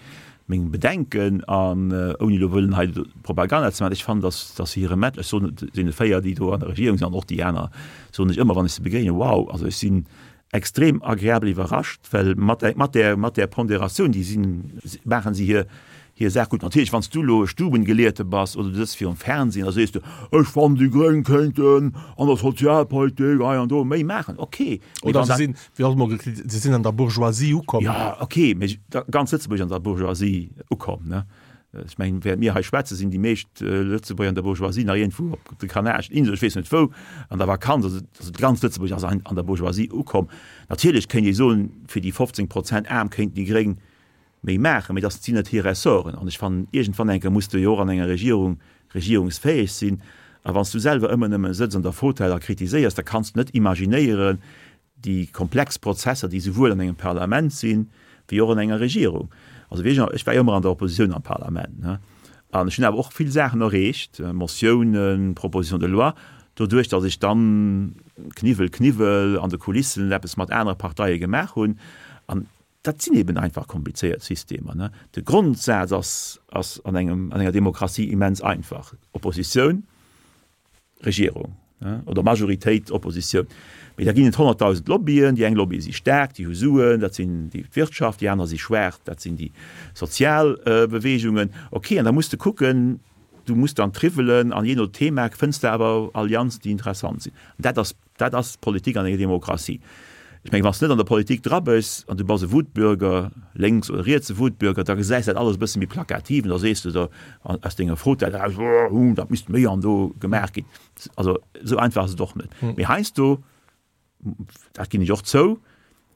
Speaker 3: meng Bedenken an ouni elo wëllen hei Propaganda ze maachen, ech fannen, dass, dass se hire Met, ech soen et deene 4, déi do an der Regierung sinn an och déi aner, soen ech ëmmer, wann ech se begéinen, wow, also ech sinn extrem agreabel iwwerrascht, well mat där, mat där, mat där Ponderatioun, déi sinn, maachen se hir, hir Saach gutt. Natierlech, wann s du elo e Stubengelehrte bass oder du sëtz virum Fernsehen, da sees du, ech fannen, déi Gréng kéinten an der Sozialpolitik hei an do méi maachen. Okay.
Speaker 2: Mee Oder wann se dat. sinn, wéi och emol gekritt, se sinn an der Bourgeoisie ukomm.
Speaker 3: Jo, okay, mee ganz Lëtzebuerg an der Bourgeoisie ukomm, ne? Ech mengen, während mir hei schwätzen, sinn déi meescht Lëtzebuerger an der Bourgeoisie nach iergendwou op de Kanareschen Inselen, ech weess net wou, an der Vakanz. Also, also ganz Lëtzebuerg ass an der Bourgeoisie ukomm. Natierlech kéint ee soen, fir déi 15 Prozent Aarm kéinten déi Gréng méi maachen, mee dat sinn net hir Ressorten. An ech fannen, iergendwann eng Kéier muss de jo och an enger Regierung regierungsfäeg sinn. A wann s du selwer ëmmer nëmme sëtz an der Fauteuil a kritiséiers, da kanns du net imaginéieren, déi komplex Prozesser, déi souwuel an engem Parlament sinn, wéi och an enger Regierung. Also wéi ech, ech war jo ëmmer an der Oppositioun am Parlament, ne, an ech hunn awer och vill Saachen erreecht, Motiounen, Propositions de loi, doduerch datt ech dann Kniwwel, Kniwwel an de Kulissen eppes mat anere Parteie gemaach hunn. An dat sinn eben einfach komplizéiert Systemer, ne. De Grondsaz ass, ass an engem, an enger Demokratie immens einfach, Oppositioun, Regierung oder Majoritéit, Oppositioun. Mee da ginn et 100.000 Lobbyen. Déi eng Lobbye si staark, déi hu Suen, dat sinn déi d'Wirtschaft, déi aner si schwaach, dat sinn déi sozial Beweegungen. Ok, an da muss de kucken, du muss dann triwwelen an jee no Thema fënns de awer Allianzen, déi interessant sinn. An dat ass Dat ass Politik an enger Demokratie. Ech mengen, wann s de net an der Politik dra bës an du bass e Wutbürger, lénks oder rietse Wutbürger, da gesäis dat alles e bësse méi plakativ an da sees de der aus denger Fauteuil eraus, Oh, dat misst méi an do gemaach ginn. Also esou einfach ass et och net. Mee heiansdo, dat ginn ech och zou,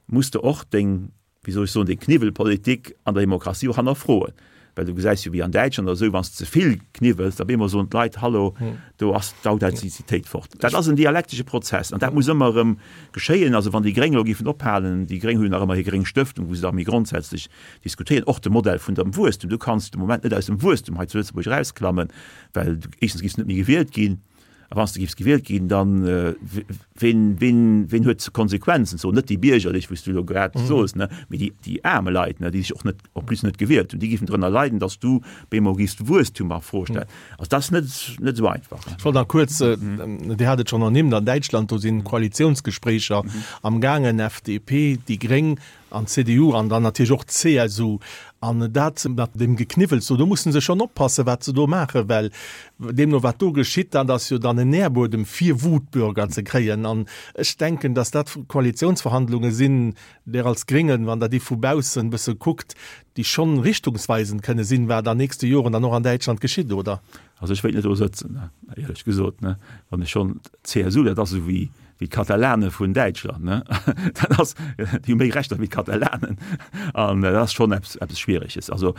Speaker 3: muss de och deng wéi soll ech soen, déi Kniwwelpolitik an der Demokratie och hannerfroen. Well du gesäis jo wéi an Däitschland oder esou, wann s de ze vill kniwwels, da op eemol soen d'Leit, Hallo, do ass d'Authentizitéit fort. Dat ass en dialektesche Prozess an dat muss ëmmer erëm geschéien. Also wann déi Gréng elo géifen ophalen, déi Gréng hu jo nach ëmmer hir gréng Stëftung, wou se da méi grondsätzlech diskutéieren, och de Modell vun dem Wuesstum. Du kanns de Moment net aus dem Wuesstum hei zu Lëtzebuerg erausklammen, well du éischtens giffs net méi gewielt ginn. A wann s de giffs gewielt ginn, dann ween, ween, ween huet d'Konsequenzen? So net déi Biergerlech, wou s du elo grad soos, ne, mee déi, déi aarme Leit, ne, déi dech och net, en plus net gewielt hunn, déi giffen drënner leiden, datt s du bemol giffs d'Wuesstum a Fro stellen. Also dat ass net, net esou einfach.
Speaker 2: Ech wollt nach kuerz, Dir hat et schonn ernimmt, an Däitschland, do sinn Koalitiounsgespréicher amgaangen, FDP, déi Gréng, An d'CDU an dann natierlech och d'CSU. An dat mat deem Gekniwwels do, do musse se schonn oppassen, wat se do maachen, well deemno wat do geschitt, dat ass jo dann en Nährbuedem fir Wutbürger ze kréien. An ech denken, datt dat Koalitionsverhandlunge sinn, där als Gréngen, wann Der déi vu baussen e bësse kuckt, déi schonn richtungsweisend kënne sinn, wat an nächste Joren dann och an Däitschland geschitt, oder?
Speaker 3: Also ech wéilt net do sëtzen, éierlech gesot, ne, wann ech schonn d'CSU, dat ass esou wéi wéi d'Katalane vun Däitschland, ne, dat ass, déi hu méi Rechter wéi d'Katalanen an dat ass schonn eppes eppes Schwiereges. Also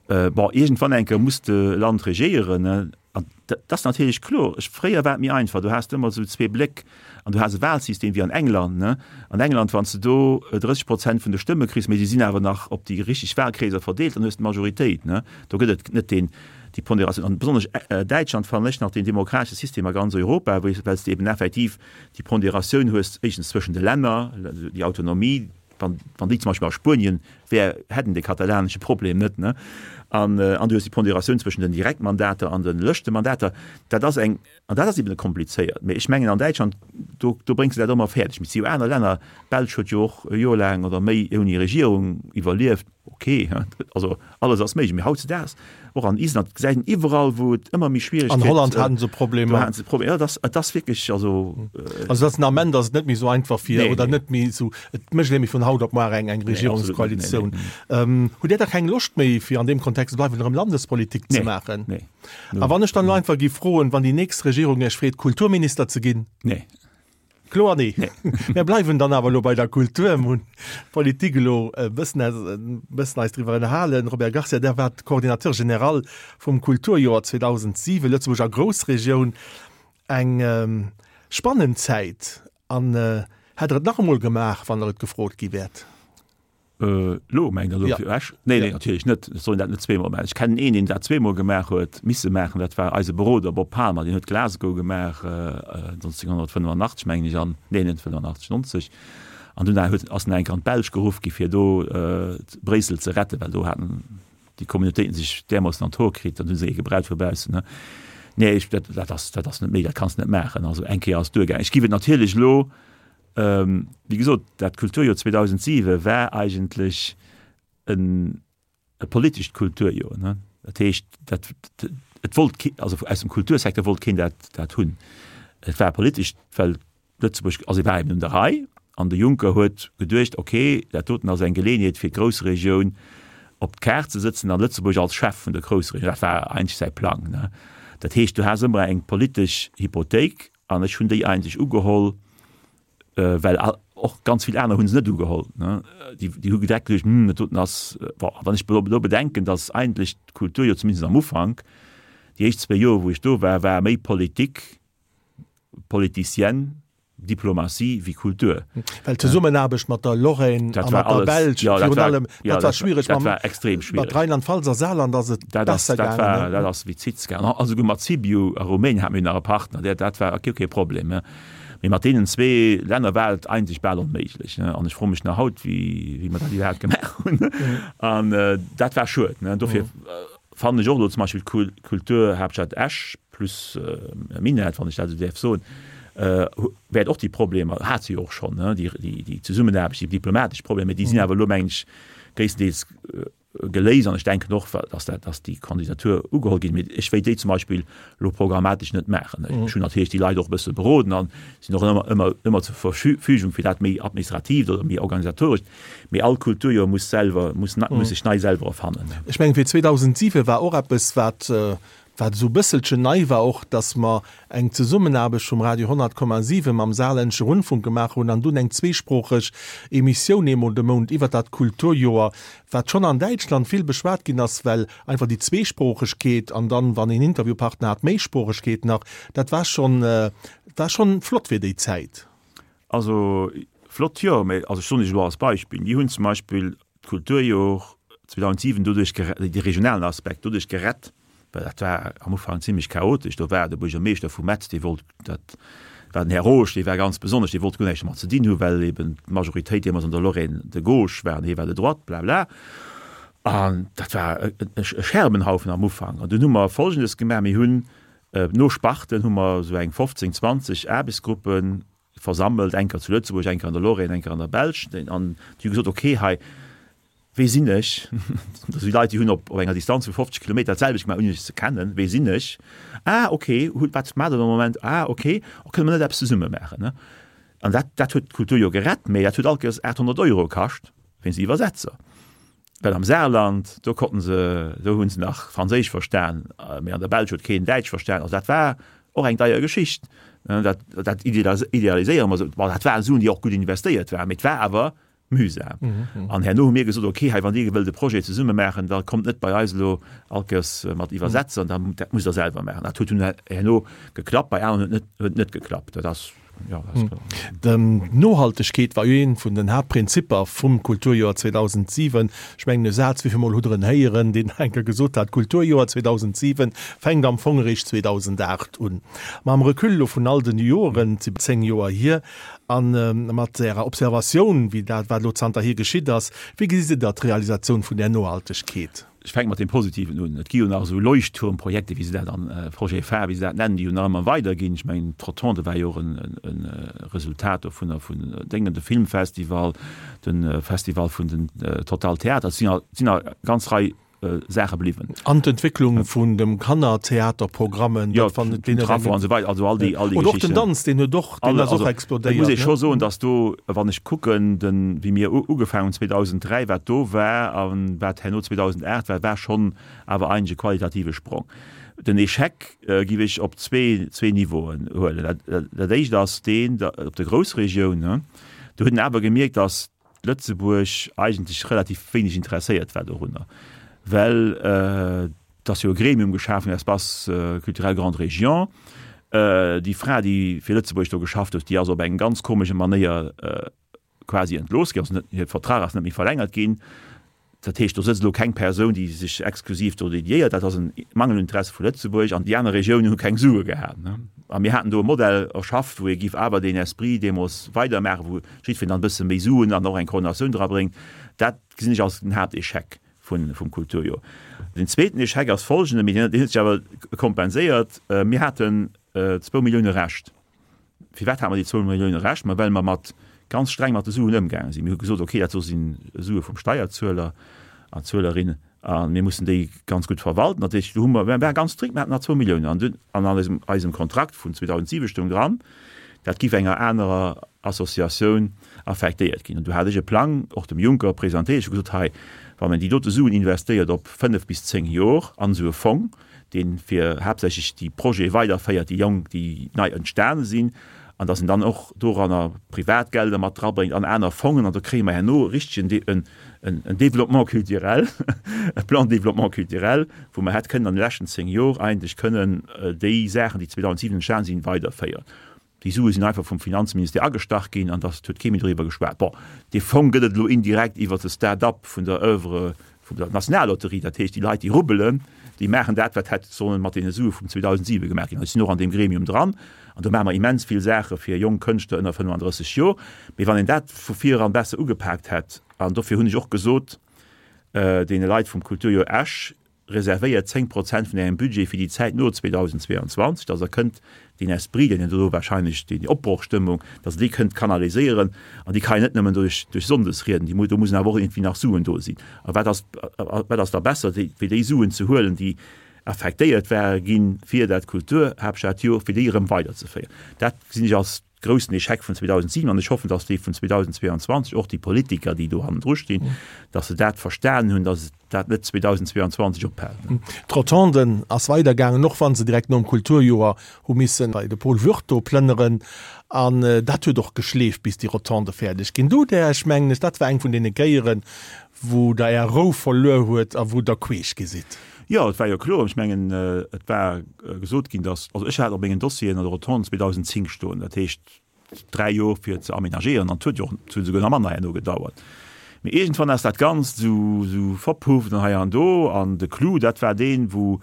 Speaker 3: bon, iergendwann eng Kéier muss de Land regéieren, ne, an dat ass natierlech kloer. Ech, fréier war et méi einfach, do has de ëmmer esou zwee Bléck an du has e Wahlsystem wéi an England, ne. An England, wann s de do 30 Prozent vun de Stëmme kriss, mee se sinn awer nach op déi richteg Wahlkreeser verdeelt, dann hues de d'Majoritéit, ne. Do gëtt et net deen, déi Ponderatioun. An besonnesch Däitschland fannen ech nach deen demokratesche System a ganz Europa, wou, well s de eben effektiv déi Ponderatioun hues, éischtens zwëschen de Länner, déi Autonomie, wann, wann déi zum Beispill a Spuenien wär, hätten de katalanesche Problem net, ne. An, an du hues déi Ponderatioun zwëschen den Direktmandater an de Lëschtemandater. Dat ass eng, an dat ass eben komplizéiert. Mee ech mengen an Däitschland, do, do bréngs de dat ëmmer fäerdeg. Mee et si jo aner Länner, d'Belsch huet jo och e Joer laang oder méi ouni Regierung iwwerlieft. Ok, also alles ass méiglech, mee hautzedaags, och an Island, gesäit een iwwerall, wou et ëmmer méi schwiereg
Speaker 2: gëtt. An Holland haten se Problemer.
Speaker 3: Do haten se Problemer, jo, et ass, et ass wierklech, also.
Speaker 2: Also et ass den Ament ass et net méi esou einfach fir, oder net méi esou, et mécht een net méi vun haut op muar eng, eng Regierungskoalitioun. Situatioun. Hutt Dir da keng Loscht méi, fir an deem Kontext ze bleiwen, erëm Landespolitik ze maachen?
Speaker 3: Nee.
Speaker 2: A wann ech dann elo einfach géif froen, wann déi nächst Regierung Iech freet, Kulturminister ze ginn?
Speaker 3: Nee.
Speaker 2: Kloer nee. Mir bleiwen dann awer elo bei der Kultur. Mir hunn d'Politik elo e bëssen e bëssen eis driwwer ënnerhalen. Robert Garcia, Der waart Coordinateur général vum Kulturjoer 2007, Lëtzebuerg a Groussregioun. Eng spannend Zäit. An hätt Der et nach emol gemaach, wann Der et gefrot gi wäert?
Speaker 3: Elo mengt Der elo fir Esch? Nee, nee, natierlech net. Ech soll dat net zweemol maachen. Ech kennen een, deen dat zweemol gemaach huet, misse maachen. Dat war eise Beroder Bob Palmer. Deen huet Glasgow gemaach 1985, mengen ech, an, nee, net 85, 90. An dunn huet, ass en eng Kéier an d'Belsch geruff gi fir do Bréissel ze retten, well do haten déi Communautéiten sech därmoossen an d'Hoer kritt. Dann hu se ee gebraucht vu baussen, ne. Nee, ech, dat, dat ass, dat ass net méi, dat kanns de net maachen. Also eng Kéier ass duergaangen. Ech géif et natierlech elo Wéi gesot, dat Kulturjoer 2007 war eigentlech en e politescht Kulturjoer. Ne? Dat heescht, dat, et wollt kee, also aus dem Kultursecteur wollt keen dat, dat hunn. Et war politesch, well Lëtzebuerg, also et war eben un der Rei an de Juncker huet geduecht, okay, dat doten ass eng Geleeënheet fir d'Groussregioun op d'Kaart ze sëtzen an Lëtzebuerg als Chef vun der Groussregioun. Dat war eigentlech säi Plang. Ne? Dat heescht, du has ëmmer eng politesch Hypothéik An ech hunn déi eigentlech ugeholl, well och ganz vill aner hu se net ugeholl. Déi hu direkt geduecht, Hm, dat doten ass, bon, wann ech elo bedenken, datt eigentlech d'Kultur jo zumindest am Ufank, déi éischt zwéi Joer, wou ech do war, war méi Politik, politicienne, Diplomatie wéi Kultur.
Speaker 2: Well d'Zesummenaarbecht mat der Lorraine a mat der Belsch virun allem, dat war schwiereg.
Speaker 3: Dat war extrem schwiereg.
Speaker 2: Mat Rheinland-Pfalz a Saarland ass et besser
Speaker 3: gaangen. Dat ass wéi Zitz gaangen. A souguer mat Sibiu a Rumänien hate mir nach e Partner, dat war kee Problem. Mee mat deenen zwee Länner war et eigentlech bal onméiglech. An ech froe mech nach haut, wéi mer dat iwwerhaapt gemaach hunn. An dat war schued. Dofir fannen ech och elo zum Beispill d'Kulturhaaptstad Esch plus Minett, wann ech dat esou däerf soen, wäert och déi Problemer, hat se jo och schonn, déi Zesummenaarbecht, déi diplomatesch Problemer, déi sinn awer elo, mengen ech, gréisstendeels geléist an ech denken och, dass dat, dass déi Kandidatur ugeholl ginn. Mee ech wéilt déi zum Beispill elo programmatesch net maachen. Ech hunn natierlech déi Leit och e bësse beroden an sinn och ëmmer, ëmmer, ëmmer zur Verfügung fir dat méi administratiivt oder méi organisatorescht. Mee all Kulturjoer muss selwer, muss, muss sech nei selwer erfannen.
Speaker 2: Ech mengen, fir 2007 war och eppes, wat Wat esou bësselchen nei war och, dass mer eng Zesummenaarbecht vum Radio 100,7 mam Saarländische Rundfunk gemaach hunn an dunn eng zweesproocheg Emissioun eemol de Mount iwwert dat Kulturjoer, wat schonn an Däitschland vill beschwat ginn ass, well einfach déi Zweesproochegkeet an dann, wann een Interviewpartner hat, d'Méisproochegkeet nach, dat war schonn, war schonn flott fir déi Zäit.
Speaker 3: Also flott, jo, mä also ech soen Iech elo als Beispill, mir hunn zum Beispill d'Kulturjor 2007 doduerch de regionalen Aspekt doduerch gerett, well dat war am Ufank zimlech chaotesch, do war de Buergermeeschter vu Metz, dee wollt, dat war den Här Roesch, dee war ganz besonnesch, dee wollt guer näischt domat ze dinn hu well eben d'Majoritéit deemools an der Lorraine de gauche war an hie war de droite, blabla. An dat war e Scherbenhaufen am Ufank. An dunn hu mer Folgendes gemaach, Mir hunn no Sparten hu mer esou eng 15, 20 Aarbechtsgruppen versammelt, eng Kéier zu Lëtzebuerg, eng Kéier an der Lorraine, eng Kéier an der Belsch, an déi hu gesot, okay, hei, wee sinn ech? Dat si Leit, déi hunn op enger Distanz vu 50 Kilometer dat selwecht gemaach, ouni sech ze kennen. Wee sinn ech? Ah, okay, wat maacht Der am Moment? Ah, okay, oh, kënne mer net eppes zesumme maachen, ne? An dat, dat huet d'Kultur jo gerett, mä dat huet all Kéiers 800 Euro kascht wéinst Iwwersetzer. Well am Saarland, do konnten se, do hu se nach Franséisch verstan, mä an der Belsch huet keen Däitsch verstan. Also dat war och eng deier Geschicht. Dat, dat idealiséiere mer esou. Bon, dat waren Suen, déi och gutt investéiert waren, mä et war awer mühsam. An herno hu mir gesot, okay, hei wann Dir wëllt e Projet zesumme maachen, da kommt net bei eis elo all Kéiers mat Iwwersetzer, dann, dat musst Der selwer maachen. Dat huet dunn herno geklappt, bei aneren huet net, huet net geklappt. Dat ass.
Speaker 2: D'Nohaltegkeet war jo eent vun den Haaptprinzipper vum Kulturjoer 2007. Ech mengen e Saz, wéi vill Mol hutt Der en héieren, deen eng Kéier gesot hat, D'Kulturjoer 2007 fänkt am Fong eréischt 2008 un. Mam Recul elo vun all den Joren, et si 10 Joer hier, a mat Ärer Observatioun, wéi dat, wat elo zanterhier geschitt ass, wéi gesitt Der d'Realisatioun vun där Nohaltegkeet?
Speaker 3: Ech fänke mat deem Positiven un. Et gi jo nach esou Leuchtturmprojekte, wéi se dat an, Projet phare, wéi se dat nennen, déi jo nach ëmmer weiderginn. Ech mengen, d'Rotonde war jo och e Resultat dovunner, vun Déngen, de Filmfestival, de Festival vun den Total Theater. Et sinn a, et sinn a ganz Rei. Saache bliwwen.
Speaker 2: An d'Entwécklung vun dem Kannertheaterprogrammen,
Speaker 3: dat wann et deene. Trafo an esou weider, also all déi, all déi
Speaker 2: Geschichten. Oder och den Danz, deen huet och, deen ass och explodéiert.
Speaker 3: Et muss ee scho soen, datt do, wann ech kucken, den, wéi mir ugefaangen hunn 2003, wat do war a wat herno 2008 war, war schonn awer eigentlech e qualitative Sprong. Den Échec giff ech op zwee, zwee Niveauen huelen. Dat, dat éischt ass deen op der Groussregioun. Do huet een awer gemierkt, datt Lëtzebuerg eigentlech relativ wéineg interesséiert war dorunner, well et ass jo e Gremium geschaf ginn, Espace culturel Grande Région. Déi Fra, déi fir Lëtzebuerg do geschafft huet, déi ass op eng ganz komesche Manéier quasi entlooss ginn, also net, hir Vertrag ass net méi verlängert ginn. Dat heescht, do sëtzt elo keng Persoun, déi sech exklusiv do dediéiert. Dat ass e Mangel un Interesse vu Lëtzebuerg an déi aner Regiounen hu keng Sue gehat. A mir haten do e Modell erschafft, wou ee giff awer deen Esprit deemools weidermaachen, wou jiddwereen dann e bësse méi Suen an och eng Koordinatioun drabréngt. Dat gesinn ech als den Haaptéchec vum Kulturjoer. Den zweeten Échec ass folgenden, mee deen huet sech awer kompenséiert, Mir haten zwou Millioune Rescht. Firwat hate mer déi zwou Millioune Rescht? Ma well mer mat ganz streng mat de Suen ëmgaange sinn. Mir hu gesot, okay, dat do si Sue vum Steierzueler an Zuelerinne a mir mussen déi ganz gutt verwalten. Dat heescht, do hu mer, mir ware ganz strikt, mir haten nach zwou Milliounen an dunn an an eisem, eisem Kontrakt vun 2007 stoung dran, dat giff enger anerer Associatioun affektéiert ginn. An du hat ech e Plang och dem Juncker presentéiert. Ech hu gesot, hei, wann een déi dote Suen investéiert op fënnef bis zéng Jor an esou e Fong, dee fir haaptsächlech déi Projete weiderféiert, déi jonk, déi nei entstane sinn, an datt en dann och doranner Privatgelder mat drabréngt an aner Fongen, an da kréie mer herno e richtegen en Développement culturel, e Plan de développement culturel, wou mer hätt kënnen an de leschten 10 Jor eigentlech kënnen déi Saachen, déi 2007 entstane sinn, weiderféieren. Déi Sue sinn einfach vum Finanzministère agestach ginn an dass huet kee méi doriwwer geschwat. Bon, dee Fong gëtt et elo indirekt iwwer de Start-up vun der Oeuvre vun der Nationallotterie. Dat heescht, déi Leit, déi rubbelen, déi maachen dat, wat hätt sollen mat deene Sue vum 2007 gemaach ginn. Ech sinn och an deem Gremium dran an do maache mer immens vill Saache fir jonk Kënschtler ënner 35 Jor. Mee wann een dat vu vir eran besser ugepaakt hätt, an dofir hunn ech och gesot deene Leit vum Kulturjoer Esch, Reservéiert 10 Prozent vun Ärem Budget fir déi Zäit no 2022, dass Der kënnt deen Esprit, deen Der do wahrscheinlech, déi Opbrochstëmmung, dass Der déi kënnt kanaliséieren. An déi kann een net nëmmen duerch, duerch Sonndesrieden, déi, do mussen awer och iergendwéi nach Suen do sinn. A wat ass, wat ass da besser, wéi déi Suen ze huelen, déi affektéiert ware ginn fir dat Kulturhaaptstadjoer, fir déi erëm weiderzeféieren? Dat gesinn ech als groussen Echec vun 2007 an ech hoffen, dass déi vun 2022, och déi Politiker, déi do hannendru stinn, dass se dat verstanen hunn, dass dat net 2022 ophält.
Speaker 2: D'Rotonde ass weidergaangen, och wa se direkt nom Kulturjoer hu misse bei de Paul Würth do plënneren. An dat huet och geschleeft, bis déi Rotonde fäerdeg ginn. Do där ech, mengen ech, dat war eng vun deene Kéieren, wou Der Är Rou verluer huet a wou Der queesch gi sidd.
Speaker 3: Jo, et war jo kloer. Ech mengen, et war gesot ginn, datt, also ech hat op mengen Dossieren an der Rotonde 2010 stoen, dat heescht dräi Jor fir ze aménagéieren, an et huet jo och, et huet esouguer nach manner herno gedauert. Mee iergendwann ass dat Ganzt esou, esou verpufft an hei an do. An de Clou, dat war deen, wou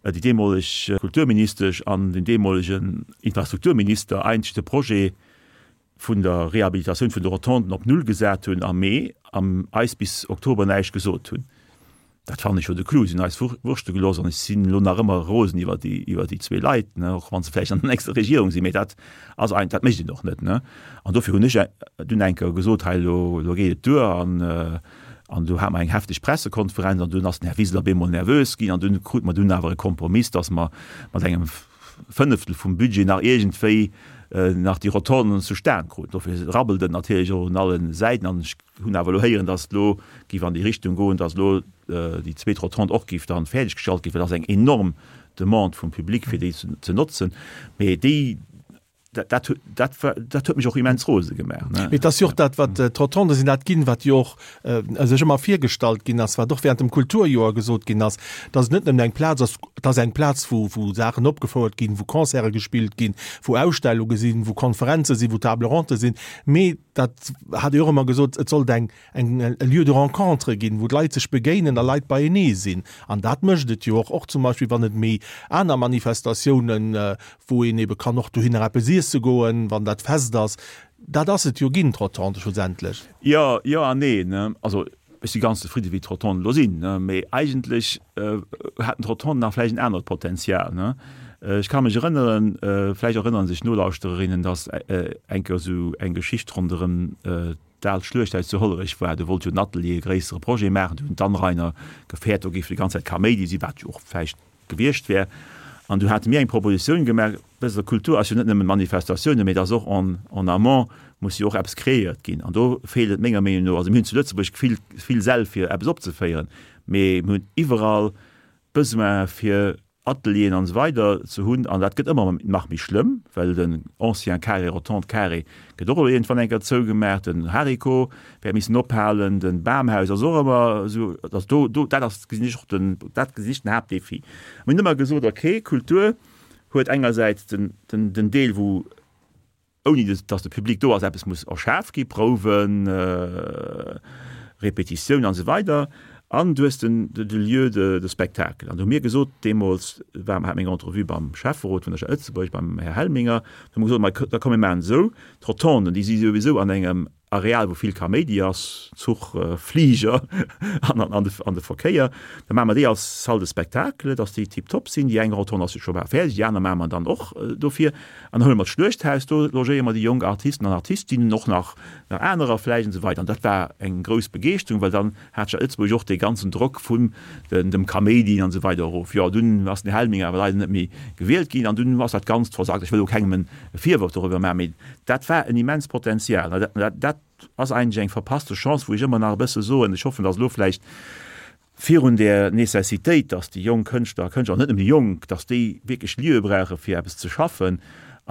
Speaker 3: déi deemoleg Kulturministesch an den deemolegen Infrastrukturminister eigentlech de Projet vun der Rehabilitatioun vun de Rotonden op Null gesat hunn am Mee an eis bis Oktober näischt gesot hunn. Dat fannen ech jo de Clou. Si hunn eis wurschte gelooss an ech sinn elo nach ëmmer rosen iwwer déi, iwwer déi zwee Leit, ne, och wa se vläicht an der nächster Regierung sinn. Mee dat ass ein, dat mécht een och net, ne. An dofir hunn ech dunn eng Kéier gesot, hei elo, elo geet et duer an, an do hate mer eng hefteg Pressekonferenz an dunn ass den Här Wiseler op eemol nervös ginn an dunn krute mer dunn awer e Kompromiss, dass mer mat engem Fënneftel vum Budget nach iergendwéi nach déi Rotonden zustan kruten. Dofir rabbelt et natierlech och un allen Säiten an ech hunn awer elo héieren, datt et elo géif an déi Richtung goen, datt elo déi zweet Rotonde och géif dann fäerdeg gestallt ginn, well et ass eng enorm Demande vum Public fir déi ze notzen. Mee déi Dat, dat, dat, dat huet mech och immens rose gemaach.
Speaker 2: Ne? Mee et ass jo och dat, wat d'Rotonde sinn dat ginn, wat jo och äh, sech ëmmer virgestallt ginn ass, wat och während dem Kulturjoer gesot ginn ass, dass et net nëmmen eng Plaz ass, et ass eng Plaz, wou, wou Saachen opgefouert ginn, wou Concerte gespillt ginn, wou Ausstellunge sinn, wou Konferenze sinn, wou Table ronde sinn, mee dat hat Dir och ëmmer gesot, et sollt eng, eng, e Lieu de rencontre ginn, wou d'Leit sech begéinen a Leit beienee sinn. An dat mécht et jo och, och zum Beispill wann et méi aner Manifestatiounen, wou een ebe kann och dohinner eppes iesse goen, wann dat Fest ass. Dat ass et jo ginn, d'Rotonde schlussendlech.
Speaker 3: Jo, jo an neen. Also ech si ganz zefridde wéi d'Rotonden elo sinn, mee eigentlech haten d'Rotonden nach vläicht en anert Potenzial. Ech ka mech erënneren, vläicht erënnere sech d'Nolauschtererinnen, datt eng Kéier esou eng Geschicht ronderëm. d'aalt Schluechthaus zu Hollerech war. Do wollt jo den Atelier e gréissere Projet maachen. Do hunn d'Anrainer gefäert, do géif déi ganz Zäit Kaméidi sinn, wat jo och vläicht gewiescht wär. An du hate mir eng Propositioun gemaach, wësst Der, Kultur ass jo net nëmmen Manifestatiounen, mee et ass och en, en amont muss jo och eppes kreéiert ginn. An do feelt et menger Meenung no, also mir hunn zu Lëtzebuerg vill, vill Säll fir eppes opzeféieren, mee mir hunn iwwerall Besoin fir Atelieren an esou weider ze hunn, an dat gëtt ëmmer nach méi schlëmm, well den ancien Carré, Rotonde Carré gëtt och elo iergendwann eng Kéier zougemaach, den Hariko wäert missen ophalen, den Bamhaus ass och ëmmer esou, also do, do, dat ass, gesinn ech och den, dat gesinn ech den Haaptdefi. Mir hunn ëmmer gesot, okay, Kultur huet engersäits den, den, den Deel, wou ouni datt de Public do ass, eppes muss erschaf gi, Prouwen, Repetitioun an esou weider, an du hues den de Lieu de de spectacle. An do hu mir gesot, deemools war hat meng Entrevue beim Schäfferot vun der Stad Lëtzebuerg, beim Här Helminger, do hu mer gesot, ma da komm mir maachen et esou, d'Rotonden, déi si souwisou an engem Areal wou vill Kaméidi ass, Zuch, Fliger an an de Verkéier, da maache mer déi als Salle de spectacle, dass déi tiptop sinn. Déi eng Rotonde ass jo scho bal fäerdeg, déi aner maache mer dann och dofir. An da huele mer d'Schluechthaus, do logéiere mer déi jonk Artisten an Artistinnen, och nach anerer vläicht an esou weider. An dat war eng grouss Begeeschterung, well dann hat d'Stad Lëtzebuerg och dee ganzen Drock vun dem Kaméidi an esou weider erof. Jo, dunn ass den Här Helminger awer leider net méi gewielt ginn an dunn ass dat Ganzt versackt. Ech wëll elo kengem e Virworf doriwwer maachen, mee dat war en immenst Potenzial. An dat ass eigentlech eng verpasste Chance, wou ech ëmmer nach e bësse soen, ech hoffen, datt elo vläicht virun där Necessitéit, datt déi jonk Kënschtler a Kënschtler, an net nëmmen déi jonk, datt déi wierklech Lieue brauche fir eppes ze schaffen,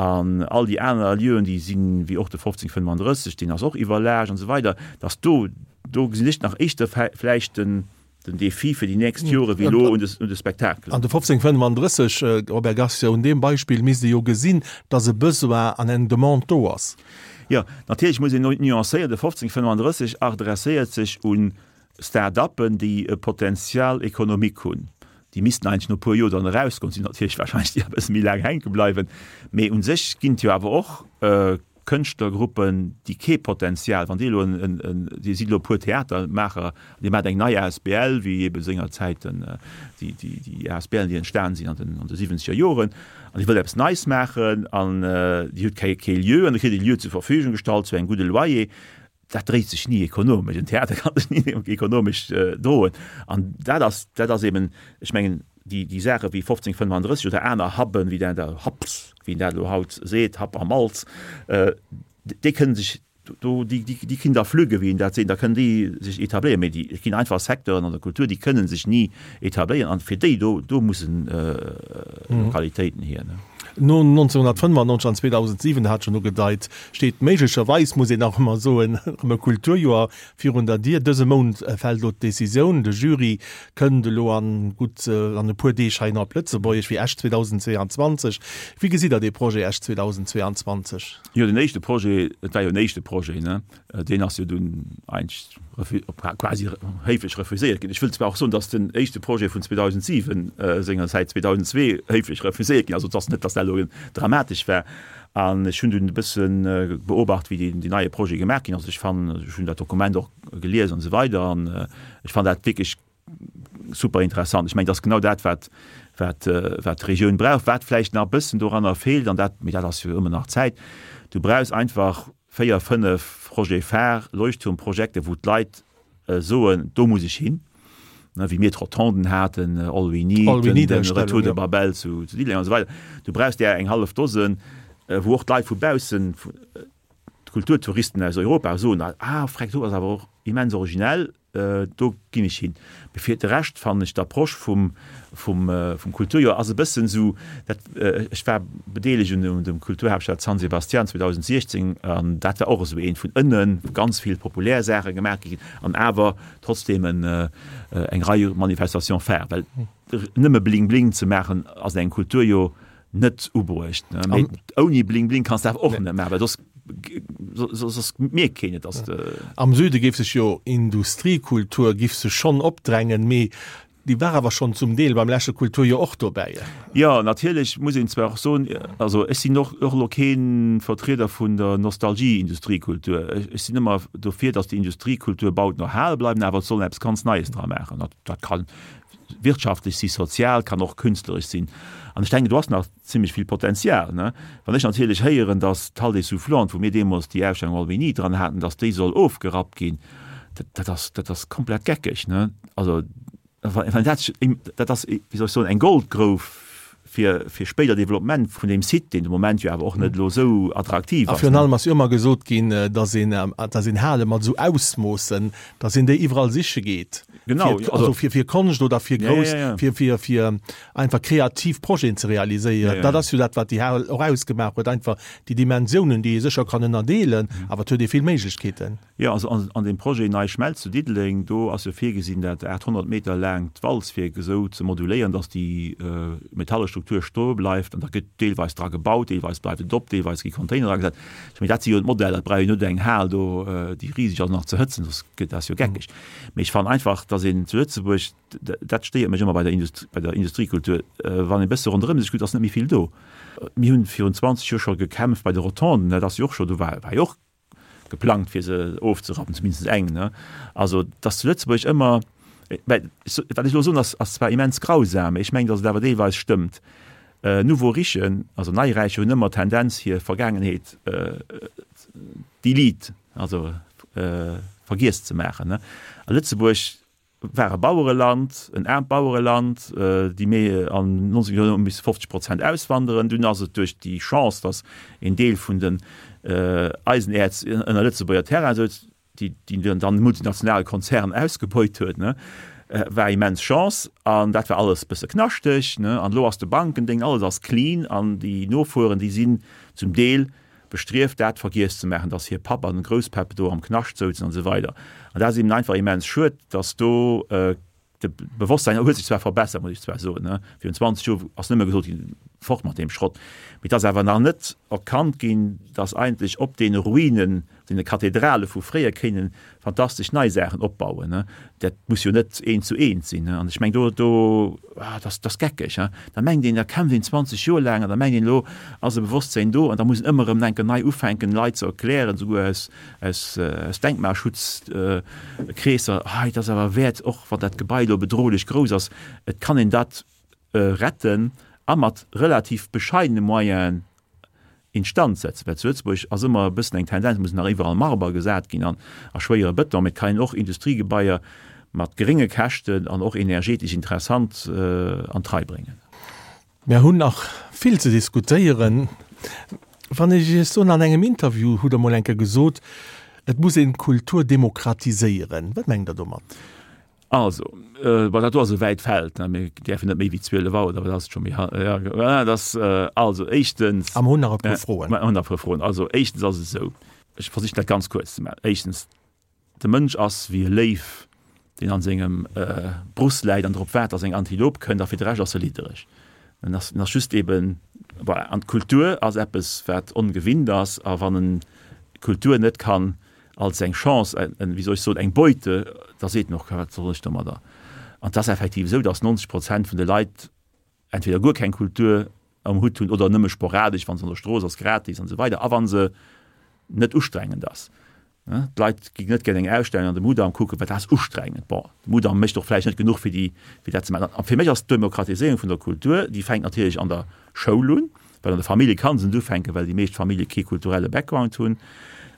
Speaker 3: an all déi aner Lieuen, déi sinn, wéi och de 1535, deen ass och iwwerlaascht an esou weider, datt do, do gesinn ech nach éischter vläicht den, den Défi fir déi nächst Jore wéi elo un de, un de Spektakelen.
Speaker 2: An de 1535, Robert Garcia, un deem Beispill misst ee jo gesinn, datt e Besoin an eng Demande do ass.
Speaker 3: Jo, natierlech muss een nuancéieren, de 1535 adresséiert sech un Start-uppen, déi e Potential économique hunn, déi missten eigentlech no e puer Joer dann erausgoen, sinn natierlech wahrscheinlech déi e bësse méi laang hänke bleiwen, mee u sech ginn et jo awer och Kënschtlergruppen, déi kee Potential, wann Dir elo en, en, Dir sidd elo e puer Theatermaacher, Dir maacht eng nei asbl, wéi ebe sengerzäit den, déi, déi, déi asbln, déi entstan sinn an den, an de siwwenzeger Joren, an Dir wëllt eppes Neies maachen an Dir hutt kee, kee Lieu an da kritt Dir e Lieu zur Verfügung gestallt zu engem gudde Loyer, dat dréit sech ni ekonomesch, en Theater kann sech ni ekonomesch droen. An dat ass, dat ass eben, ech mengen, déi, déi Saache wéi 1535 oder aner Hubben, wéi dat, Hubs, wéi een dat elo haut seet, Hub am Malz, déi kënnen sech do, déi, déi, déi kinn da flügge, wéi een dat seet, da kënnen déi sech etabléieren. Mee déi, et ginn einfach Secteuren an der Kultur, déi kënnen sech ni etabléieren. An fir déi do, do mussen Lokalitéiten hier.
Speaker 2: No 1995 an 2007, hat schonn ugedeit, steet méiglecherweis, muss een nach ëmmer soen, erëm e Kulturjoer virun der Dier. Dëse Mount fält elo d'Decisioun. De Jury kënnt elo an gutt an e puer Deeg heihinner op Lëtzebuerg fir Esch 2022. Wéi gesitt Der dee Projet Esch 2022?
Speaker 3: Jo, den éischte Projet, et war jo en éischte Projet, ne? Deen ass jo dunn eigentlech quasi héiflech refuséiert ginn. Ech wëll zwar och soen, datt den éischte Projet vun 2007 sengerzäit 2002 héiflech refuséiert ginn ass. Also et ass net, datt dat elo dramatesch war. An ech hunn dunn e bësse beobacht, wéi deen neie Projet gemaach ginn ass. Ech fannen, ech hunn dat Dokument och gelies an esou weider an ech fannen dat wierklech super interessant. Ech mengen, dat ass genau dat, wat, wat, wat d'Regioun brauch. Wat vläicht nach e bëssen doranner feelt, an dat, mee dat ass jo ëmmer nach Zäit, du brauchs einfach 4, 5 Projets phares, Leuchtturmprojekte, wou d'Leit soen, do muss ech hin, wéi mir d'Rotonden haten, All We Need,
Speaker 2: All We Need
Speaker 3: den Retour de Babel zu Diddeleng an esou weider. Du brauchs där eng hallef Dosen, wou och d'Leit vu baussen, d'Kulturtouristen aus Europa soen, ah, freck, do ass awer och immens originell, Do ginn ech hin. Mee fir de Rescht fannen ech d'Approche vum, vum, vum Kulturjoer ass e bëssen esou, dat, ech war bedeelegt un dem Kulturhaaptstad San Sebastian 2016 an dat war och esou eent vun ënnen, wou ganz vill populär Saache gemaach gi sinn an awer trotzdeem en, eng Rei Manifestations phares. Well nëmme Bling Bling ze maachen ass an engem Kulturjoer net ubruecht. Mee ouni Bling Bling kanns de awer och net maachen, well soss soss mierkt keen et, dass de.
Speaker 2: Am Süde géif sech jo Industriekultur giff sech schonn opdrängen, mee. Déi war awer schonn zum Deel beim leschte Kulturjoer och dobäi.
Speaker 3: Jo, natierlech muss een zwar och soen, also ech sinn och och elo kee Vertrieder vun der Nostalgie-Industriekultur. Ech sinn ëmmer dofir, datt déi Industriekultur baut no hale bleiwen, awer et soll een eppes ganz Neies dra maachen. Dat ka wirtschaftlech si, sozial, kann och künstleresch sinn. An ech denken, do ass nach zimmlech vill Potenzial. Wann ech natierlech héieren, datt d'Halle des Soufflantes, wou mir deemools déi Ausstellung Albini dran haten, datt déi soll ofgerappt ginn, dat ass, dat ass komplett geckeg, ne? Also, wann dat, dat ass, wéi soll ech soen, eng Goldgrouf fir, fir spéider Developpement vun deem Site, deen de Moment jo awer och net elo esou attraktiv
Speaker 2: ass. A virun allem ass jo ëmmer gesot ginn, datt een, datt een Hale mat esou Ausmoossen, datt een déi iwwerall siche geet.
Speaker 3: Genau,
Speaker 2: fir, also fir, fir Konscht oder fir grouss, ja, ja, ja. fir, fir, fir einfach kreativ Projeten ze realiséieren. Ja, ja. Dat ass jo dat, wat déi Hal och ausgemaach huet, einfach déi Dimensiounen, déi ee sécher kann ënnerdeelen, awer et huet ee vill Méiglechkeeten.
Speaker 3: Jo, also an deem Projet Nei Schmelz zu Diddeleng, do ass jo virgesinn, dat 800 Meter laangt Walzwierk esou ze moduléieren, datt déi metalle Struktur stoe bleift. An da gëtt deelweis dra gebaut, deelweis bleift et op, deelweis gi Container dragesat. Ech mengen, dat si jo d'Modeller. Et brauch een net eng Hal do, déi riseg ass, nach ze hëtzen, soss gëtt dat jo geckeg. Mee ech fannen einfach, datt een zu Lëtzebuerg, dat stéiert mech ëmmer bei der Industrie, bei der Industriekultur, wann ee bësse ronderëm sech kuckt, ass net méi vill do. Mir hunn virun 20 Joer scho gekämpft bei de Rotonden, dat ass jo och scho, do war jo och geplangt fir se ofzerappen, zumindest eng, ne? Also dass zu Lëtzebuerg ëmmer, well wat ech elo soen ass ass zwar immens grausam, mee ech mengen, dass et awer deelweis stëmmt, Nouveaux richen, also Neiräiche hunn ëmmer d'Tendenz hir Vergaangenheet delete, also vergiess ze maachen, ne? A Lëtzebuerg war e Bauereland, en aarmt Bauereland, déi méi an 19 Joer hu misse 50 Prozent auswanderen. Dunn ass et duerch déi Chance, datt een Deel vun den Eisenäerz ënner Lëtzebuerger Terrain souz, déi dann e multinationale Konzern ausgebeut huet, war immens Chance. An dat war alles e bësse knaschteg. An elo ass de Bankendéng, alles ass clean an déi Nofueren, déi sinn zum Deel bestrieft dat vergiess ze maachen, dass hir Papp an Grousspäpp do am Knascht souzen an esou weider. An dat ass eben einfach immens schued, dass do de Bewosstsein huet sech zwar verbessert, muss ech zwar soen, ne, virun 20 Joer ass nëmme gesot ginn, fort mat deem Schrott, mee et ass awer nach net erkannt ginn, dass eigentlech op deene Ruinen, deene Kathedrale vu fréier kéinen fantastesch nei Saachen opbauen, ne. Dat muss jo net eent zu eent sinn, ne. An ech meng do, do, ah, dat ass geckeg, hein. Da mengt een, da kämpft een 20 Joer laang an da mengt een, elo ass e Bewosstsein do an da muss een ëmmer erëm enke nei ufänken, Leit ze erklären, souguer aus, aus, aus Denkmalschutzkreesser, hei, et ass awer wäert, och wann dat Gebai elo bedrohlech grouss ass, et kann een dat retten a mat relativ bescheidene Moyenen instand setzen, well zu Lëtzebuerg ass ëmmer e bëssen eng Tendenz, et muss nach iwwerall Marber gesat ginn an a schwéiere Bëton, mee et kann een och Industriegebaier mat gerénge Käschten an och energetesch interessant an d'Rei bréngen.
Speaker 2: Mir hunn nach vill ze diskutéieren. Wann ech Iech soen, an engem Interview hutt Der mol eng Kéier gesot, et muss een d'Kultur demokratiséieren. Wat mengt Der domat?
Speaker 3: Also, bon, dat do ass e wäit Feld, ne, mir däerfen net méi wéi 12 Auer, da ass et scho méi, ja, dat ass, also éischtens.
Speaker 2: A mer hunn nach e puer Froen.
Speaker 3: Mer hunn nach e puer Froen. Also éischtens ass et esou, ech versichen dat ganz kuerz ze maachen. Éischtens, de Mënsch ass wéi e Léiw, deen an sengem Bruss läit an drop waart, dass eng Antilop kënnt, a fir de Rescht ass e liddereg. En ass, en ass just eben, voilà. An d'Kultur ass eppes, wat ongewinnt ass, a wann en d'Kultur net kann als eng Chance, en, wéi soll ech soen, eng Beute, da seet en och, wat soll ech domadder? An et ass effektiv esou, datt 90 Prozent vun de Leit entweder guer keng Kultur am Hutt hunn oder nëmme sporadesch, wa se an der Strooss ass, gratis an esou weider a wa se net ustrengend ass. D'Leit ginn net gär eng Ausstellung an de Mudam kucken, well dat ass ustrengend. Bon, de Mudam mécht och vläicht net genuch fir déi, fir dat ze maachen. A fir mech ass d'Demokratiséierung vun der Kultur, déi fänkt natierlech an der Schoul un, well an der Famillje kann se net ufänken, well déi meescht Famillje kee kulturelle Background hunn.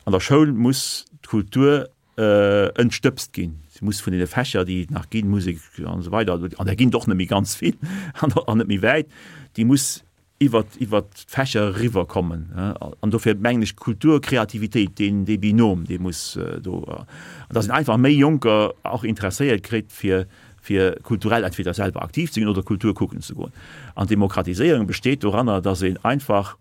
Speaker 3: An der Schoul muss d'Kultur entstëbst ginn. Se muss vun deene Fächer, déi et nach ginn, Musek an esou weider, an där ginn et och net méi ganz vill an net méi wäit, déi muss iwwert iwwert d'Fächer eriwwer kommen. An dofir mengen ech, Kultur, Kreativitéit, deen dee Binôme, dee muss do, an datt een einfach méi Jonker och interesséiert kritt fir fir kulturell entweder selwer aktiv ze ginn oder Kultur kucken ze goen. An d'Demokratiséierung besteet doranner, dass een einfach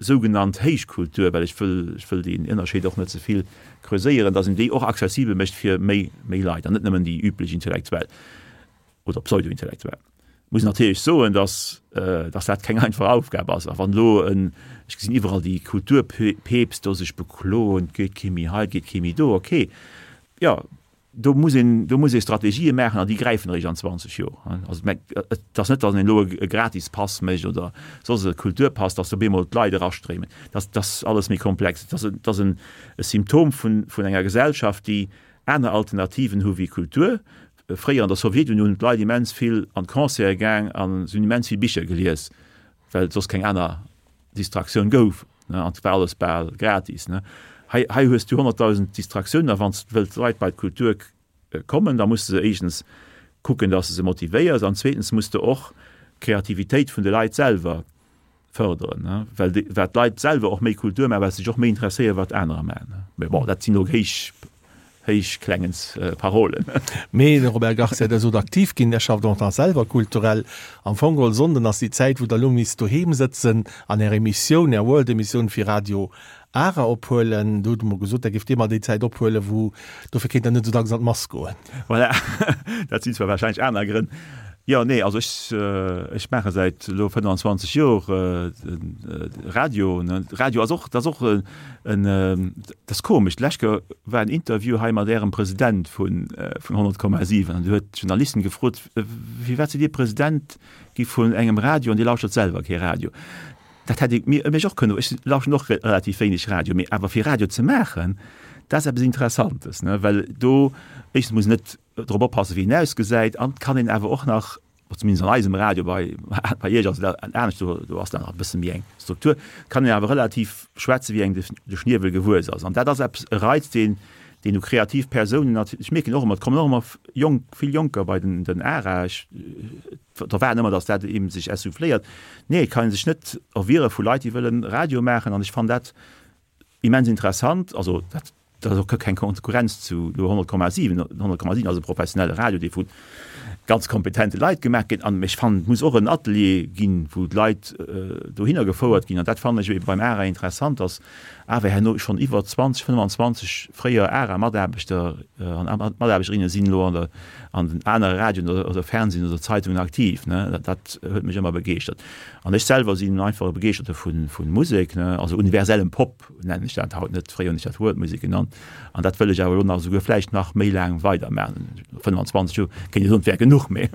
Speaker 3: sougenannt Héichkultur, well ech wëll, ech wëll deen Ënnerscheed och net ze vill creuséieren, dass een déi och accessibel mécht fir méi, méi Leit an net nëmmen déi üblech Intellektuell oder Pseudo-Intellektuell. Muss natierlech soen, dass, dass dat keng einfach Aufgab ass. A wann elo en, ech gesinn iwwerall déi Kulturpeepst do sech bekloen, et geet kee méi hei, et geet kee méi do, okay, jo. Do muss een, do muss ee Strategië maachen an déi gräifen eréischt an 20 Joer. Also et ass net, datt een elo e Gratispass mécht oder soss e Kulturpass, datt op eemol d'Leit erastréimen. Dat ass alles méi komplex. Et ass, et ass en Symptom vun, vun enger Gesellschaft, déi aner Alternativen hu wéi Kultur. Fréier an der Sowjetunioun hunn d'Leit immens vill an d'Concerte gaang a se hunn immens vill Bicher gelies, well et soss keng aner Distraktioun gouf, ne, an et war alles bal gratis, ne. Hei, hei hues du 100.000 Distraktiounen, a wann s de wëlls d'Leit bei d'Kultur kommen, da muss de se éischtens kucken, dass de se motivéiers, an zweetens muss de och d'Kreativitéit vun de Leit selwer fërderen, ne, well déi, wat d'Leit selwer och méi Kultur maachen, well se sech och méi interesséieren, wat anerer maachen, ne. Mä bon, dat sinn elo héich héichklengens Parolen.
Speaker 2: Mee de Robert Garcia, Der sot aktiv ginn, Der schafft och nach selwer kulturell. Am Fong geholl Sonnden ass déi Zäit, wou Der elo misst doheem sëtzen an Är Emissioun, Är World-Emissioun fir Radio Ara ophuelen. Do hutt Der emol gesot, Der géift eemol déi Zäit ophuelen, wou, dofir kéint Der net esou dacks an d'Mass goen.
Speaker 3: Voilà, dat sinn zwar warscheinlech aner Grënn. Jo, nee, also ech, ech maache säit elo 25 Jor Radio. Radio ass och, dat ass och en, dat ass komesch, d'lescht Kéier war en Interview hei mat Ärem President vun 100,7 an do huet d'Journalistin gefrot, Firwat sidd Dir President gi vun engem Radio an Dir lauschtert selwer kee Radio? Dat hätt ee mech och kënnen, ech lauschten och relativ wéineg Radio, mee awer fir Radio ze maachen, dat ass eppes Interessantes, ne, well do éischtens muss een net drop oppassen, wéi een ausgesäit, an et kann een awer och nach, zumindest an eisem Radio, bei, bei Iech ass et anescht, do, do ass da nach e bësse méi eng Struktur, kann een awer relativ schwätzen, wéi engem de, de Schniewel gewuess ass. An dat ass eppes, e Reiz, deen, deen u kreativ Persounen nat-, ech mierken och ëmmer, et kommen och ëmmer jonk, vill Jonker bei den, den ARA, ech erwaarden ëmmer, datt dat eeben sech essouffléiert. Nee, et kann ee sech net erwiere vu Leit, déi wëllen Radio maachen, an ech fannen dat immens interessant. Also dat Dat ass och keng Konkurrenz zu 100,7. 100,7 ass e professionelle Radio, dee vu ganz kompetente Leit gemaach gëtt. An ech fannen, et muss och en Atelier ginn, wou d'Leit dohinner gefouert ginn. An dat fannen ech ebe beim ARA interessant, dass awer herno schonn iwwer 20, 25 fréier ARA-Mataarbechter an Mataarbechterinnen sinn elo an der, an den anere Radioen oder Fernsehen oder Zeitungen aktiv. Dat huet mech ëmmer begeeschtert. An ech selwer sinn einfach e Begeeschterte vu Musek, also universellem Pop. nennen ech dat haut net, fréier hunn ech dat World Music genannt, an dat wëll ech awer elo nach esouguer vläicht nach méi laang weidermaachen. 25 Joer kéint ee soen, et wär genuch, mee.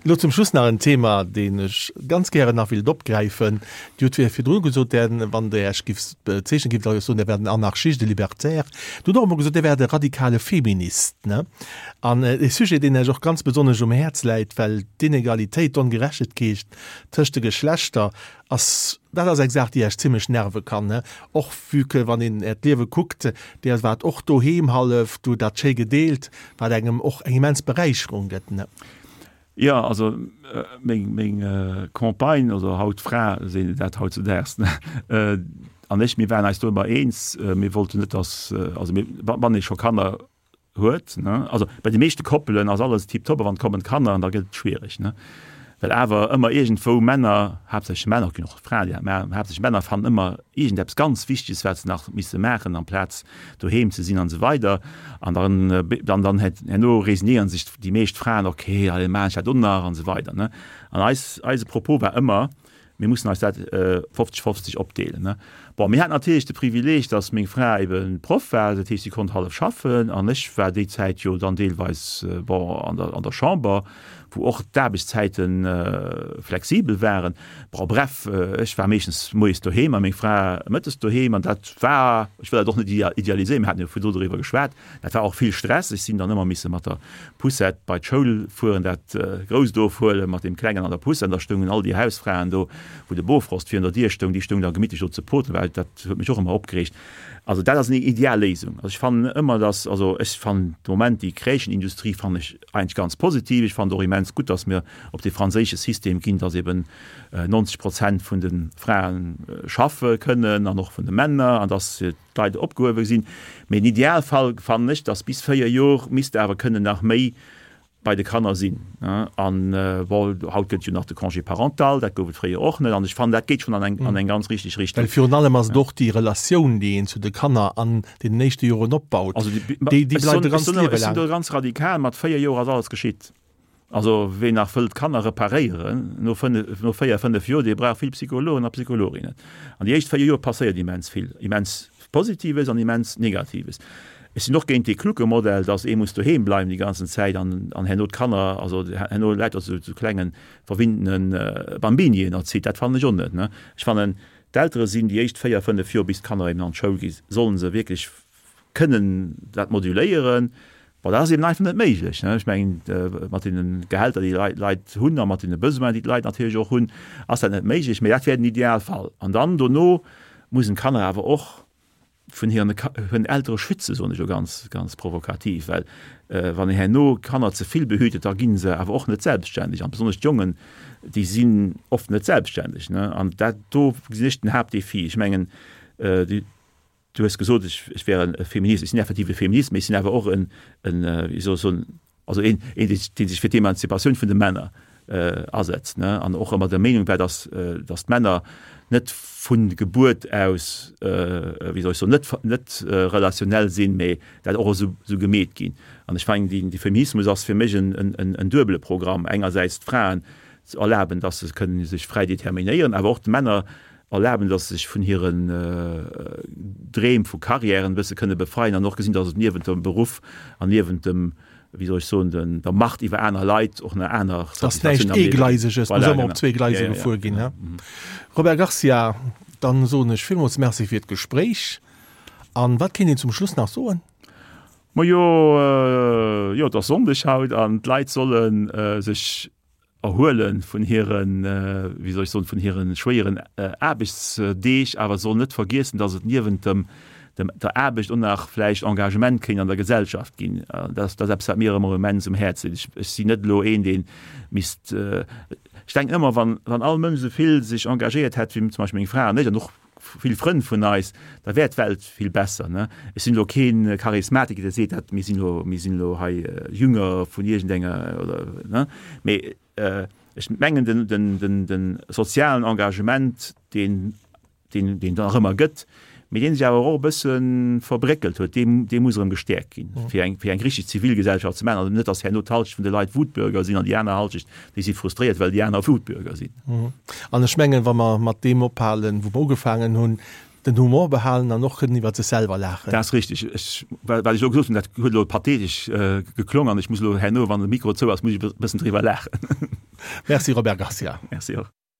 Speaker 2: Elo zum Schluss nach en Thema, deen ech ganz gären nach wéilt opgräifen. Dir hutt virdru gesot, Där, wann Der Iech giff bezeechnen giff, da géift soen, Der wäert en Anarchist, e Libertaire. Dir hutt och emol gesot, Dir wäert e radikale Feminist, ne? An e Sujet, deen Iech och ganz besonnesch um Häerz läit, well d'Inegalitéit, d'Ongerechtegkeet tëscht de Geschlechter Ass, dat ass eng Saach, déi Iech zimlech nerve kann, ne? Och vue que, wann een Äert Liewe kuckt, Dir waart och doheem hallef, du hutt dat schéi gedeelt, wat engem och eng immens Beräicherung gëtt, ne?
Speaker 3: Jo, also meng, meng Compagne, also haut Fra, seet een dat hautzedaags, ne, an ech, mir waren eis do ëmmer eens, mir wollten net, dass, also mir, wann ee scho Kanner huet, ne, also bei de meeschte Koppelen ass alles tiptop, a wann kommen d'Kanner an da gëtt et schwiereg, ne, well awer ëmmer iergendwou Männer, haaptsächlech Männer, et ginn och Fraen, déi dat maachen, haaptsächlech Männer fannen ëmmer iergendeppes ganz Wichteges, wat se nach misse maachen amplaz doheem ze sinn an esou weider an dann, dann, dann herno resignéieren sech déi meescht Fraen, okay, allez maachen ech dat och nach an esou weider, ne. An eis, eise Propos war ëmmer, Mir mussen eis dat 50, 50 opdeelen. Bon, mir haten natierlech de Privileeg, datt meng Fra ebe Proff war, dat heescht, si konnt hallef schaffen an ech war déi Zäit jo dann deelweis, bon, an der, an der Chamber, wou och d'Aarbechtszäite flexibel waren. Bon, bref, ech war meeschtens moies doheem a meng Fra mëttes doheem an dat war, ech wëll dat och net idealiséieren, mir haten jo virdru doriwwer geschwat, Dat war och vill Stress. Ech sinn dann ëmmer misse mat der Poussette bei d'Schoul fueren, dat Grousst ofhuelen mat deem Klengen an der Poussette. An da stoungen all déi Hausfraen do, wou de Bofrost virun der Dier stoung, déi stoungen da gemittlech do ze poten, well dat huet mech och ëmmer opgereegt. Also dat ass eng ideal Léisung. Also ech fannen ëmmer, dass, also ech fannen de Moment déi Crèchenindustrie fannen ech eigentlech ganz positiv. Ech fannen et och immens gutt, dass mir op dee franséische System ginn, dass eben 90 Prozent vun de Frae schaffe kënnen an och vun de Männer an dass d'Leit opgehuewe sinn. Mee den Idealfall fannen ech, dass bis 4 Jor misst awer kënnen nach méi bei de Kanner sinn. An bon, haut gëtt et jo nach de Congé parental, dat gouf et fréier och net. An ech fannen, dat geet schonn an eng, an eng ganz richteg Richtung.
Speaker 2: Well virun allem ass et och déi Relatioun, déi een zu de Kanner an deenen éischte Joren opbaut, déi, déi bleift e ganzt Liewe laang.
Speaker 3: Ech sinn do ganz radikal, mat 4 Joer ass alles geschitt. Also ween nach wëllt Kanner reparéieren no 5, no 4, 5 Joer, dee brauch vill Psychologen a Psychologinnen. An déi éischt 4 Joer passéiert immens vill, immens Positives an immens Negatives. Ech sinn och géint dee klucke Modell, dass ee muss doheem bleiwen déi ganzen Zäit an an herno d'Kanner, also herno lauter sou sou klengen verwinntene Bambinien erzitt. Dat fannen ech och net, ne. Ech fannen, d'Eltere sinn déi éischt 4, 5 Joer, bis d'Kanner eben an d'Schoul gi, sollen se wierklech kënnen dat moduléieren. Bon, dat ass eben einfach net méiglech, ne. Ech mengen, mat deene Gehälter, déi d'Leit hunn a mat deene Besoinen, déi d'Leit natierlech och hunn, ass dat net méiglech. Mä dat wär den Idealfall. An dann dono mussen d'Kanner awer och vun hiren hiren Eltere schützen, soen ech elo ganz, ganz provokativ, well wann een herno Kanner ze vill behütet, da gi se awer och net selbstständeg an besonnesch d'Jongen, déi sinn oft net selbstständeg, ne. An dat do gesinn ech den Haaptdefi. Ech mengen, du hues gesot, ech ech wär e Feminist. Ech sinn effektiv e Feminist, mee ech sinn awer och en, en, wéi soll ech soen, Also een, een dee sech fir d'Emanzipatioun vun de Männer asetzt, ne, an och ëmmer der Meenung war, datt, datt d'Männer net vu Gebuert aus, wéi soll ech soen, net, net relationell sinn, mee dat och esou, esou gemeet ginn. An ech mengen, dee Feminismus ass fir mech en, en, en duebele Programm, engersäits d'Fraen ze erlaben, datt se kënnen sech fräi determinéieren, awer och de Männer erlaben, datt se sech vun hiren Dreem vu Karriären e bësse kënne befreien an och gesinn, datt et niewent dem Beruff an niewent dem, wéi soll ech soen, den, der Macht iwwer aner Leit och nach aner
Speaker 2: Dass näischt
Speaker 3: Satisfaktioun am Liewe ginn.
Speaker 2: Eegleiseges muss
Speaker 3: Voilà,
Speaker 2: ëmmer op
Speaker 3: genau.
Speaker 2: zwee
Speaker 3: Ja,
Speaker 2: Gleise
Speaker 3: ja, ja,
Speaker 2: gefuer ginn,
Speaker 3: genau.
Speaker 2: he? Robert Garcia, dann soen ech villmools Merci fir d'Gespréich. An wat kéint een zum Schluss nach soen?
Speaker 3: Majo, jo, et ass Sonndeg haut an d'Leit solle sech erhuele vun hiren, wéi soll ech soen, vun hire schwéieren Aarbechtsdeeg, awer sollen net vergiessen, dass et niewent dem, dem, der Aarbecht och nach vläicht Engagement kéint an der Gesellschaft ginn. Dat ass eppes, wat mir ëmmer immens um Häerz läit. Ech, ech sinn net elo een, dee misst, ech denken ëmmer, wann, wann all Mënsch esou vill sech engagéiert hätt wéi zum Beispill meng Fra an ech an och vill Frënn vun eis, da wär d'Welt vill besser. Ne? Ech sinn elo kee Charismatiker, dee seet, dat mir sinn elo, mir sinn elo hei Jünger vun iergendenger oder, ne? Mee ech mengen, den, den, den, den sozialen Engagement, deen, deen, deen et nach ëmmer gëtt, mee dee sech awer och e bësse verbréckelt huet, dee, dee muss erëm gestäerkt ginn, fir eng, fir eng richteg Zivilgesellschaft ze maachen. Also net, datt herno d'Halschecht vun de Leit Wutbürger sinn an déi aner Halschecht, déi si frustréiert, well déi aner Wutbürger sinn.
Speaker 2: An ech mengen, wa mer mat deem ophalen, wou mer ugefaangen hunn, den Humor behalen an och kënnen iwwer sech selwer laachen.
Speaker 3: Dat ass richtig. Ech, wat ech elo gesot hunn, dat huet elo pathetesch geklong an ech muss elo herno, wann de Mikro zou ass, muss ech e bëssen driwwer laachen.
Speaker 2: Merci Robert Garcia.
Speaker 3: Merci och.